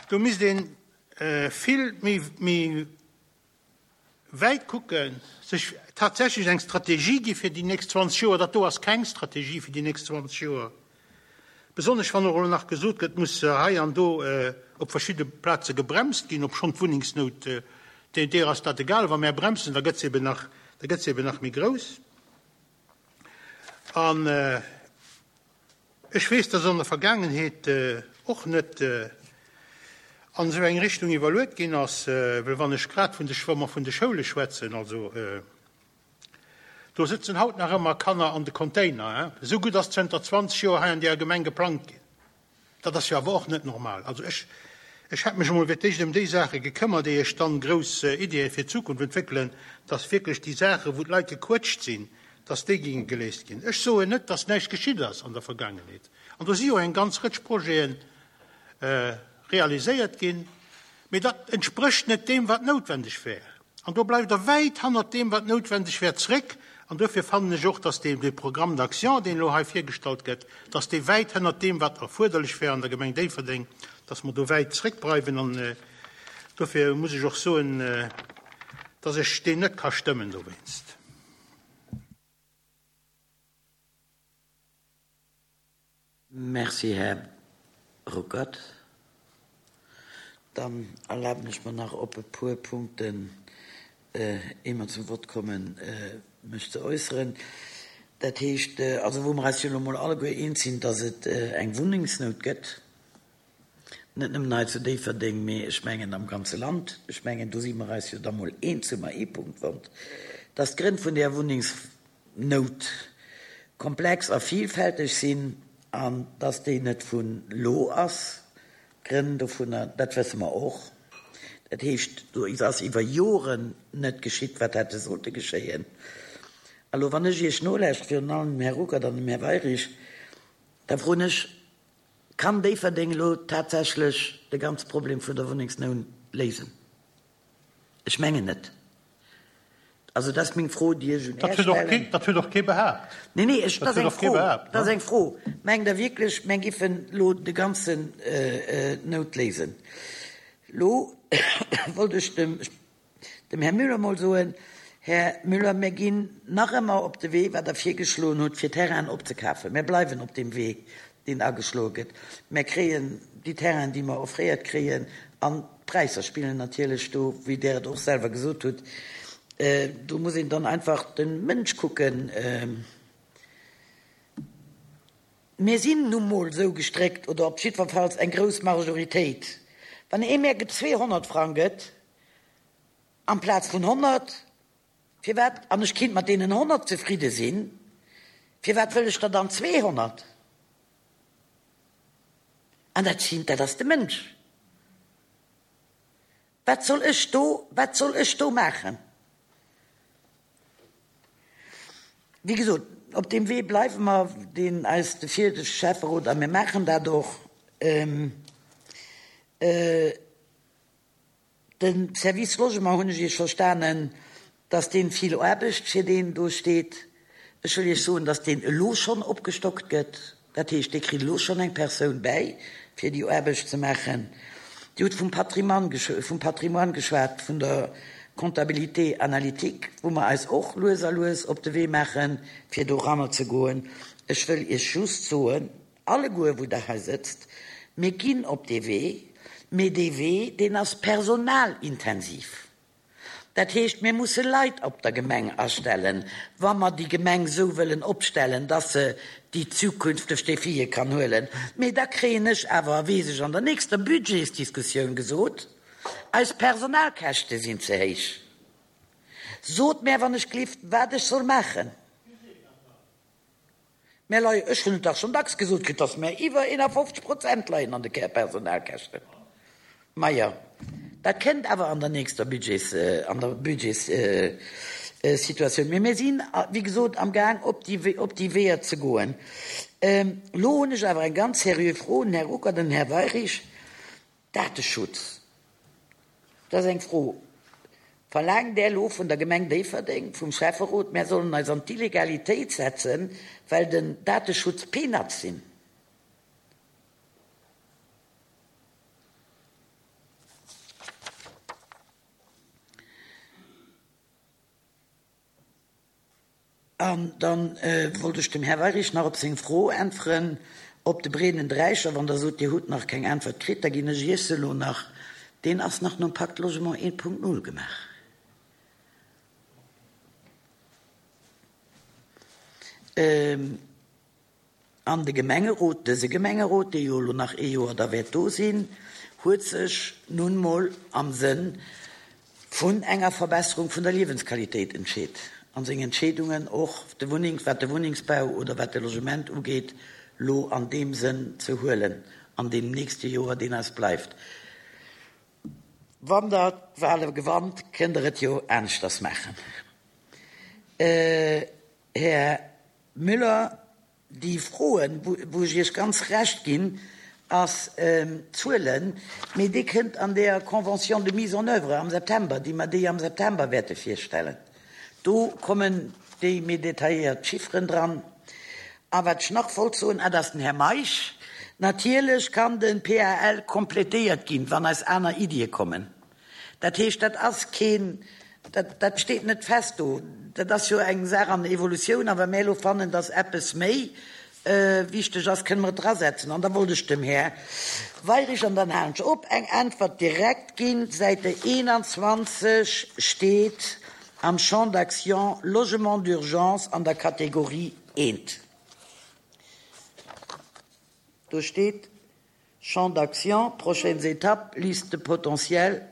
do misst een vill méi, méi wäit kucken, sech tatsächlech eng Strategie gi fir déi nächst zwanzeg Joer. Dat do ass keng Strategie fir déi nächst zwanzeg Joer. Besonnesch wann och elo nach gesot gëtt, muss hei an do op verschidde Plaze gebremst ginn, obschonn d'Wunnengsnout, deer ass dat egal, wa mär bremsen, da gëtt se eben nach, da gëtt se eben nach méi grouss. An ech weess, dass an der Vergaangenheet och net an esou eng Richtung iwwerluet ginn ass, well wann ech grad vun de, wa mer vun de Schoule schwätzen, also do sëtzen haut nach ëmmer Kanner an de Container, hein, esou gutt ass zënter zwanzeg Joer hei an deeër Gemeng geplangt ginn. Dat ass jo awer och net normal. Also ech, ech hätt mech emol fir d'éischt ëm déi Saache gekëmmert, éier ech dann grouss Ideeë fir d'Zukunft entwéckelen, dass wierklech déi Saache wou d'Leit gequëtscht sinn, dass déi géinge geléist ginn. Ech soen net, dass näischt geschitt ass an der Vergaangenheet. An do si jo eng ganz Rëtsch Projeten realiséiert ginn, mee dat entsprécht net deem, wat noutwendeg wär. An do bleift Der wäit hannert deem, wat noutwendeg wär, zréck. An duerfir fannen ech och, dass dee Programme d'action, deen elo hei virgestallt gëtt, dass dee wäit hënnert deem, wat erfuerderlech wär an der Gemeng Déifferdeng, dass mer do wäit zréckbleiwen. An dofir muss ech och soen, dass ech deen net ka stëmmen dowéinst. Merci, Här Ruckert. Dann erlaben ech mer nach op e puer Punkten, ier mer zum Vott kommen, mech ze äusseren. Dat heescht, also wou mer eis jo elo mol alleguer eens sinn, dass et eng Wunnengsnout gëtt, net nëmmen hei zu Déifferdeng, mee ech mengen am ganze Land, ech mengen do si mer eis jo da mol eens, hu mer ee Punkt fonnt, dass d'Grënn vun där Wunnengsnout komplex a vielfälteg sinn. An dass déi net vun elo ass, d'Grënn dovunner, dat wësse mer och. Dat heescht, do ass iwwer Joren net geschitt, wat hätte sollte geschéien. A lo, wann ech Iech nolauschteren, virun allem dem Här Ruckert an dem Här Weyrich, da froen ech, Kann Déifferdeng elo tatsächlech de ganze Problem vun der Wunnengsnoun léisen? Ech mengen net. Also dat ass meng Fro, déi ech un Dat Äech huet och stellen. kee, dat huet och kee behaapt. Nee, nee, ech, Dat dat ass huet eng och kee Fro. behaapt, Dat ass ne? eng Fro. Mengt Der wierklech, mär giffen elo de ganzen Nout léisen? Elo wollt ech dem, dem Här Müller mol soen, Här Müller, mär ginn nach ëmmer op de Wee, wat Der virgeschloen hutt, fir Terrainen opzekafen. Mär bleiwen op deem Wee, deen ageschloe gëtt. Mär kréien déi Terrainen, déi mer offréiert kréien, an d'Präisser spillen natierlech do, wéi Der et och selwer gesot hutt. Do muss een dann einfach de Mënsch kucken. Mir sinn nu mol esou gestréckt, oder op jiddwerfalls eng grouss Majoritéit, wann ee mär zweehonnert Frang gëtt amplaz vun honnert, firwat, an ech kinnt mat deenen honnert zefridde sinn, firwat wëll ech der dann zweehonnert? An dat sinn, dat ass de Mënsch. Wat soll ech do, wat soll ech do maachen? Wéi gesot, op deem Wee bleiwe mer, deen eis de viregte Schäfferot, a mir maachen dat och, De Service Logement, hunn ech Iech verstanen, dass deen vill Aarbecht fir deen do steet. Ech wëll Iech soen, dass deen elo schonn opgestockt gëtt. Dat heescht, dee kritt elo schonn eng Persoun bäi, fir déi Aarbecht ze maachen. Dir hutt vum Patrimoine, vum Patrimoine geschwat, vun der Comptabilité analytique, wou mer eis och lues a lues op de Wee maachen, fir doranner ze goen. Ech wëll Iech just soen, alleguer, wou Der hei sëtzt, Mir ginn op dee Wee, mee dee Wee, deen ass personalintensiv. Dat heescht, mir musse Leit op der Gemeng astellen, wa mer déi Gemeng esou wëllen opstellen, dass se déi zukünfteg Défië kann huelen. Mee da kréien ech awer, weess ech, an der nächster Budgetsdiskussioun gesot, eis Personalkäschte sinn ze héich. Sot mär, wann ech glift, wat ech soll maachen. Mär leien, ech hunn et dach schonn dacks gesot kritt, dass mär iwwer eenafofzeg Prozent leien an de Personalkäschten. Majo, dat kënnt awer an der nächster Budgets, an der Budgetssituatioun. Mee mir sinn, wéi gesot, am Gaang, op déi, op déi Weeër ze goen. Elo hunn ech awer eng ganz seriö Fro un den Här Ruckert an den Här Weyrich. Dateschutz, dat ass eng Fro. Verlaangt Där elo vun der Gemeng Déifferdeng, vum Schäfferot, mär sollen eis an d'Illegalitéit setzen, well den Dateschutz Peanuts sinn? An da wollt ech dem Här Weyrich nach op seng Fro äntweren, op de breeden Dräicher. Wann Der sot, Dir hutt nach keng Äntwert kritt, da ginn ech Iech se elo nach. Deen ass nach nom Pacte Logement eent Punkt null gemaach. An de Gemengerot, dëse Gemengerot, dee jo elo nach ee Joer da wäert do sinn, huet sech nun mol am Sënn vun enger Verbesserung vun der Liewensqualitéit entscheet an seng Entscheedungen och de Wunnings, wat de Wunnengsbau oder wat de Logement ugeet, lo an deem Sënn ze huelen an deem nächste Joer, deen eis bleift. Wann Der d'Wahle gewannt, kënnt Der et jo aneschters maachen. Här Müller, déi Froen, wou ech Iech ganz Recht ginn, ass d'Zuelen, mee déi kënnt an där Convention de mise en œuvre am September, déi mer déi am September wäerte virstellen. Do kommen déi méi detailléiert Chifferen dran. A wat ech nach wollt soen, ah, dat ass den Här Meisch, natierlech kann de P A L kompletéiert ginn, wann eis aner Iddie kommen. Dat heescht, dat ass keen, dat, dat steet net fest do. Dat ass jo eng Saach an der Evolutioun. A wa mir elo fannen, dass eppes méi wichteg ass, kënne mer et drasetzen. An da wollt ech dem Här Weyrich, an dann halen ech op, eng Äntwert direkt ginn. Säite eenanzwanzeg steet am Champ d'action Logement d'urgence an der Kategorie eent. Do steet Champ d'action, prochaines étapes, liste potentielle,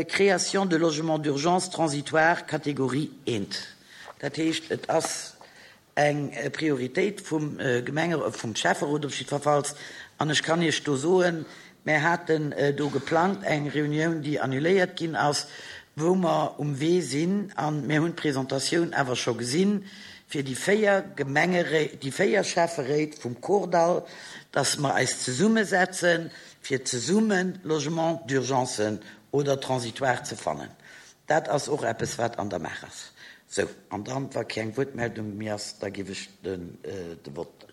création de logements d'urgence transitoire, Kategorie eent. Dat heescht, et ass eng Prioritéit vum Gemenge vum Schäfferot op jiddwerfalls. An ech kann Iech do soen, mär haten do geplangt eng Reunioun, déi annuléiert ginn ass, wou mer um Wee sinn, a mir hunn d'Presentatioun awer scho gesinn, fir déi véier Gemengeré déi véier Schäfferéit vum Kordall, dass mer eis zesummesetzen, fir zesumme Logements d'urgencen oder transitoires ze fannen. Dat ass och eppes, wat an der Maach ass. Sou, an dann, wa keng Wuertmeldung méi ass, da géif ech den de Vott,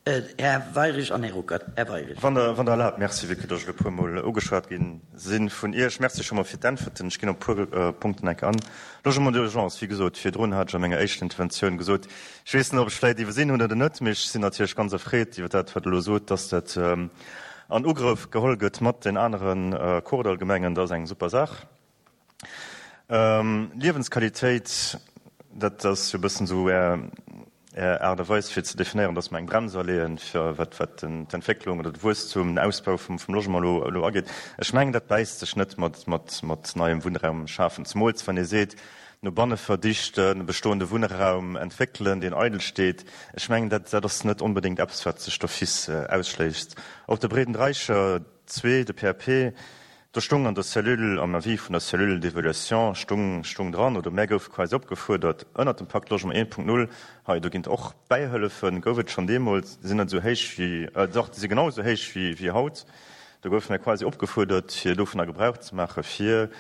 Här Weirich an Här Ruckert. Här Weirich. Wann Der, wann Der erlaabt, merci, vue que dass ech elo e puermol ugeschwat gi si vun Iech. Merci scho mol fir d'Äntwerten. Ech ginn op e puer Punkten enk an. Logement d'urgence, wéi gesot, virdrun hat ech a menger éischter Interventioun gesot, ech weess net, ob ech vläicht iwwersinn hunn oder net, mee ech sinn natierlech ganz erfreet iwwer dat, wat Der elo sot, dass dat an Ugrëff geholl gëtt mat den anere Kordallgemengen. Dat ass eng super Saach. Liewensqualitéit, dat ass jo e bëssen esou Är, Är Aart a Weis fir ze definéieren, dass mer eng Brems aleeën, fir wat, wat d'Entwécklung oder de Wuesstum, den Ausbau vum, vum Logement elo, elo ageet. Ech mengen, dat bäisst sech net mat, mat, mat neiem Wunnraum schafen, zemools wann ee seet, no banne verdichten, bestoende Wunnraum entwéckelen, deen eidel steet. Ech mengen, dat, dat ass net onbedéngt eppes, wat sech d'office ausschléisst. Op de Breeden Dräicher zwee, de P A P, do stung an der Cellule, am Avis vun der Cellule d'évaluation stung, stung dran, oder mär goufe quasi opgefuerdert, ënnert dem Pakt Logement eent Punkt null, hei, do ginn et och Bäihëllefen, gouf et schonn deemools, déi sinn net esou héich wéi, dach, déi si genau esou héich wéi, wéi haut. Do goufe mär quasi opgefuerdert, fir dovunner Gebrauch ze maache fir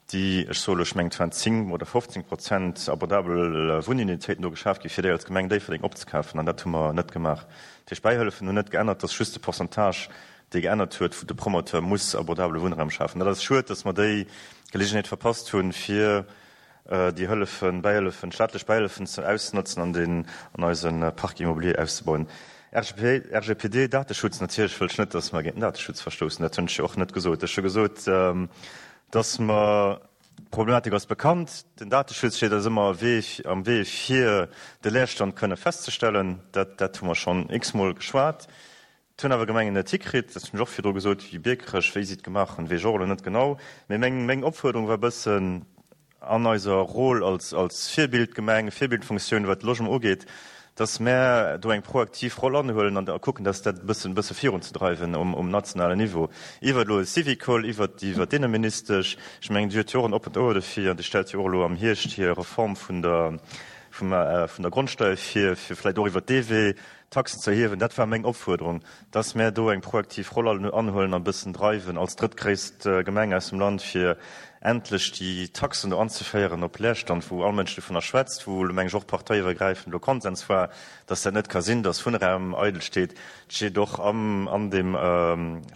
déi, ech soe lo, ech mengen, et waren zéng oder fofzéng Prozent abordabel Wunnunitéiten do geschaf gi fir déi als Gemeng Déifferdeng opzekafen, an dat hu mer net gemaach. Dat heescht, d'Bäihëllefen hunn net geännert, et ass just de Pourcentage, dee geännert huet, wou de Promoteur muss abordabele Wunnraum schafen. Dat ass schued, dass mer déi Geleegenheet verpasst hunn, fir déi Hëllefen, Bäihëllefen, staatlech Bäihëllefen ze auszenotzen an den, an eise Parc immobilier auszebauen. R G P, R G P D, Dateschutz, natierlech wëll ech net, dass mer géint den Dateschutz verstoussen. Dat hunn ech jo och net gesot. Ech hu gesot, dass mer, d'Problematik ass bekannt, den Dateschutz steet eis ëmmer am Wee fir de Leerstand kënne festzestellen. Dat, dat hu mer schonn x-mol geschwat. Et hunn awer Gemengen net hikritt, dat hunn ech och virdru gesot, wéi Biekerech, wéi si et gemaach hunn, weess ech och elo net genau. Mee meng, meng Opfuerderung war e bëssen an eiser Rôle als, als Virbildgemeng, Virbildfunktioun, wat de Logement ugeet, dass mär do eng proaktiv Roll anhuelen an da kucken, dass dat e bëssen, bësse virunzedreiwen um, um nationalen Niveau. Iwwer elo e Syvicol, iwwer, iwwer d'Inneministesch, ech mengen, déi huet jo och en oppent Ouer dofir an déi stellt jo och elo am Hierscht hir Reform vun der, vum, vun der Grondsteuer vir, fir vläicht och iwwer dee Wee Taxen ze erhiewen. Dat war meng Opfuerderung, dass mär do eng proaktiv Roll anhuelen an e bëssen dreiwen als drëttgréisst Gemeng aus dem Land, fir endlech déi Taxen do anzeféieren op Leerstand, wou all Mënsch dovunner schwätzt, wou elo, meng ech, och parteiiwwergräifend elo Konsens war, dass dat net ka sinn, dass Wunnraum eidel steet. Et steet och am, an deem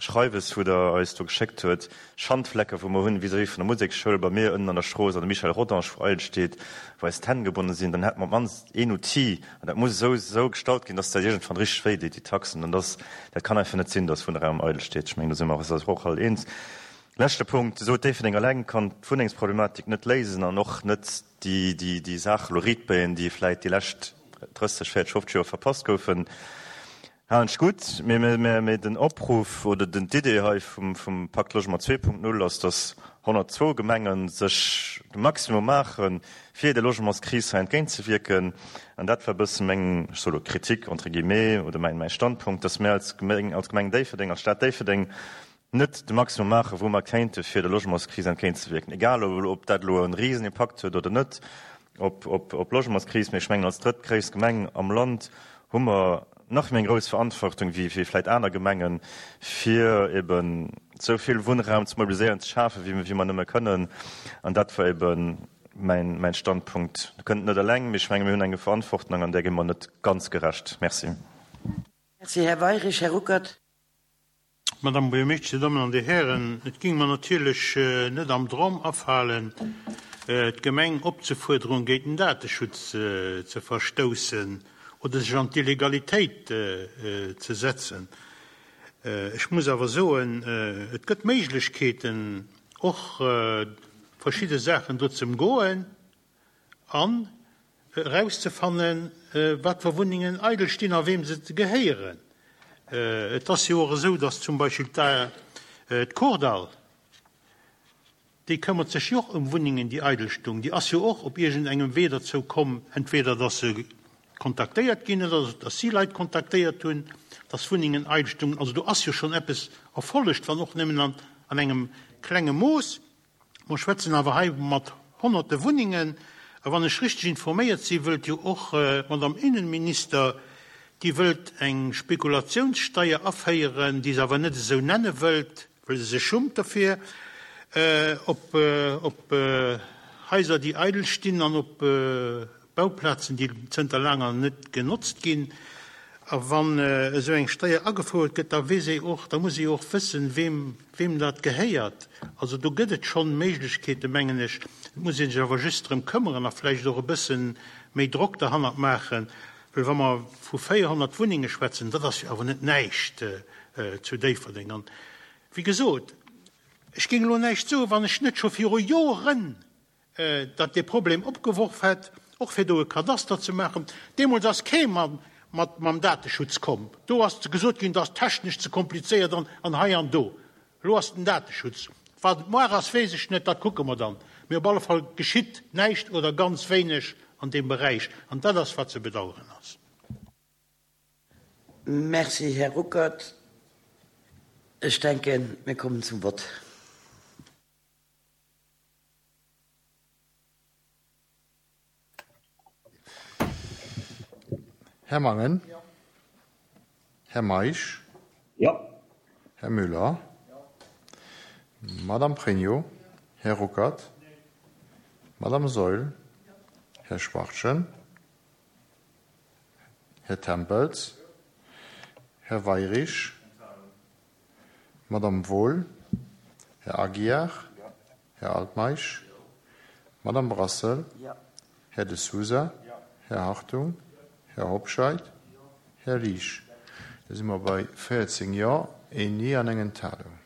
Schreiwes, wou Der eis do geschéckt huet, Schandflecke wou mer hunn vis-à-vis vun der Museksschoul bei mir ënnen an der Strooss an der Michel Rodange, wou eidel steet, wou eis d'Hänn gebonne sinn, dann hätte mer op d'mannst een Outil, an dat muss esou, esou gestalt ginn, dass dat iergendwann richteg wéi deet, déi Taxen. An dass, dat kann einfach net sinn, dass Wunnraum eidel steet. Ech mengen, do si mer eis och all eens. Leschte Punkt, Dir sot, Déifferdeng eleng kann d'Wunnengsproblematik net léisen an och net déi, déi, déi Saach elo riitbéien, déi vläicht déi lescht drësseg, véierzeg, fofzeg Joer verpasst goufen. Halen ech gutt, mee, mee, mee den Opruff oder den, d'Idee hei vum, vum Pakt Logement zwee Punkt null ass, dass honnertzwou Gemengen sech de Maximum maachen, fir der Logementskris hei entgéintzewierken. An dat war e bësse meng, ech soe lo Kritik entre guillemets, oder mäin, mäi Standpunkt, dass mir als Gemeng, als Gemeng Déifferdeng, als Stad Déifferdeng net de Maximum maachen, wou mer kéinte fir der Logementskris entgéintzewierken. Egal ob dat elo e Risenimpakt huet oder net op, op, op d'Logementskris, mee ech mengen, als drëttgréisst Gemeng am Land hu mer nach méi eng grouss Verantwortung wéi, wéi vläicht aner Gemengen, fir eben esou vill Wunnraum ze mobiliséieren, ze schafen, wéi, wéi mer nëmme kënnen. An dat war eben mäin, mäin Standpunkt. Mir kënnen et net eleng, mee ech menge mir hunn eng Verantwortung an där gi mer net ganz gerecht. Merci. Merci, Här Weirich. Här Ruckert. Madame Buergermeeschtesch, Dir Dammen an Dir Hären, et géing mer natierlech net am Dram afalen, d'Gemeng opzefuerderen, géint den Dateschutz ze verstoussen oder sech an d'Illegalitéit ze setzen. Ech muss awer soen, et gëtt Méiglechkeeten, och verschidde Saachen do ze ëmgoen an erauszefannen, wat fir Wunnengen eidel stinn a weem se gehéieren. Et ass jo och esou, dass zum Beispill d'Kordall, déi këmmert sech jo och ëm Wunnengen, déi eidel stoungen. Déi ass jo och op iergendengem Wee derzou komm, entweder dass se kontaktéiert ginn, oder datt si Leit kontaktéiert hunn, datt Wunnengen eidel stungen. Also do ass jo schonn eppes erfollegt, wann och nëmmen an, an engem klenge Mooss. Mer schwätzen awer hei mat honnerte Wunnengen. A wann ech richteg informéiert si, wëllt jo och d'Madame Innenminister, déi wëllt eng Spekulationssteier aféieren, déi se awer net esou nenne wëllt, well se sech schummt derfir, op, op Haiser, déi eidel stinn an op Bauplazen, déi zënter laanger net genotzt ginn. A wann esou eng Steier agefouert gëtt, da weess ee och, da muss ee och wëssen, weem, weem dat gehéiert. Also do gëtt et schonn Méiglechkeeten, mengen ech. Et muss ee sech awer just drëm këmmeren a vläicht och e bësse méi Drock derhannert maachen. Well wa mer vu véierhonnert Wunnenge schwätzen, dat ass jo awer net näischt zu Déifferdeng. An wéi gesot, ech géing elo näischt soen, wann ech net scho viru Joren datt dee Problem opgeworf hätt, och fir do e Kadaster ze maachen. Deemools ass kee mat mam Dateschutz komm. Do ass gesot ginn, dat ass technesch ze komplizéiert an, an hei an do. Elo ass den Dateschutz. Wat et muar ass, weess ech net, dat kucke mer dann. Mee op alle Fall geschitt näischt oder ganz wéineg an deem Beräich. An dat ass, wat ze bedauern ass. Merci, Här Ruckert. Ech denken, mir kommen zum Vott. Här Mangen? Här Meisch? Jo. Här Müller? Madame Pregno? Här Ruckert? Madame Saeul? Här Schwachtgen? Här Tempels? Här Weirich? Madame Wohl? Här Aguiar? Här Altmeisch? Madame Brassel? Här De Sousa? Här Hartung? Här Hobscheit? Här Liesch? Da si mer bei véierzéng Jo, een Nee an eng Enthalung.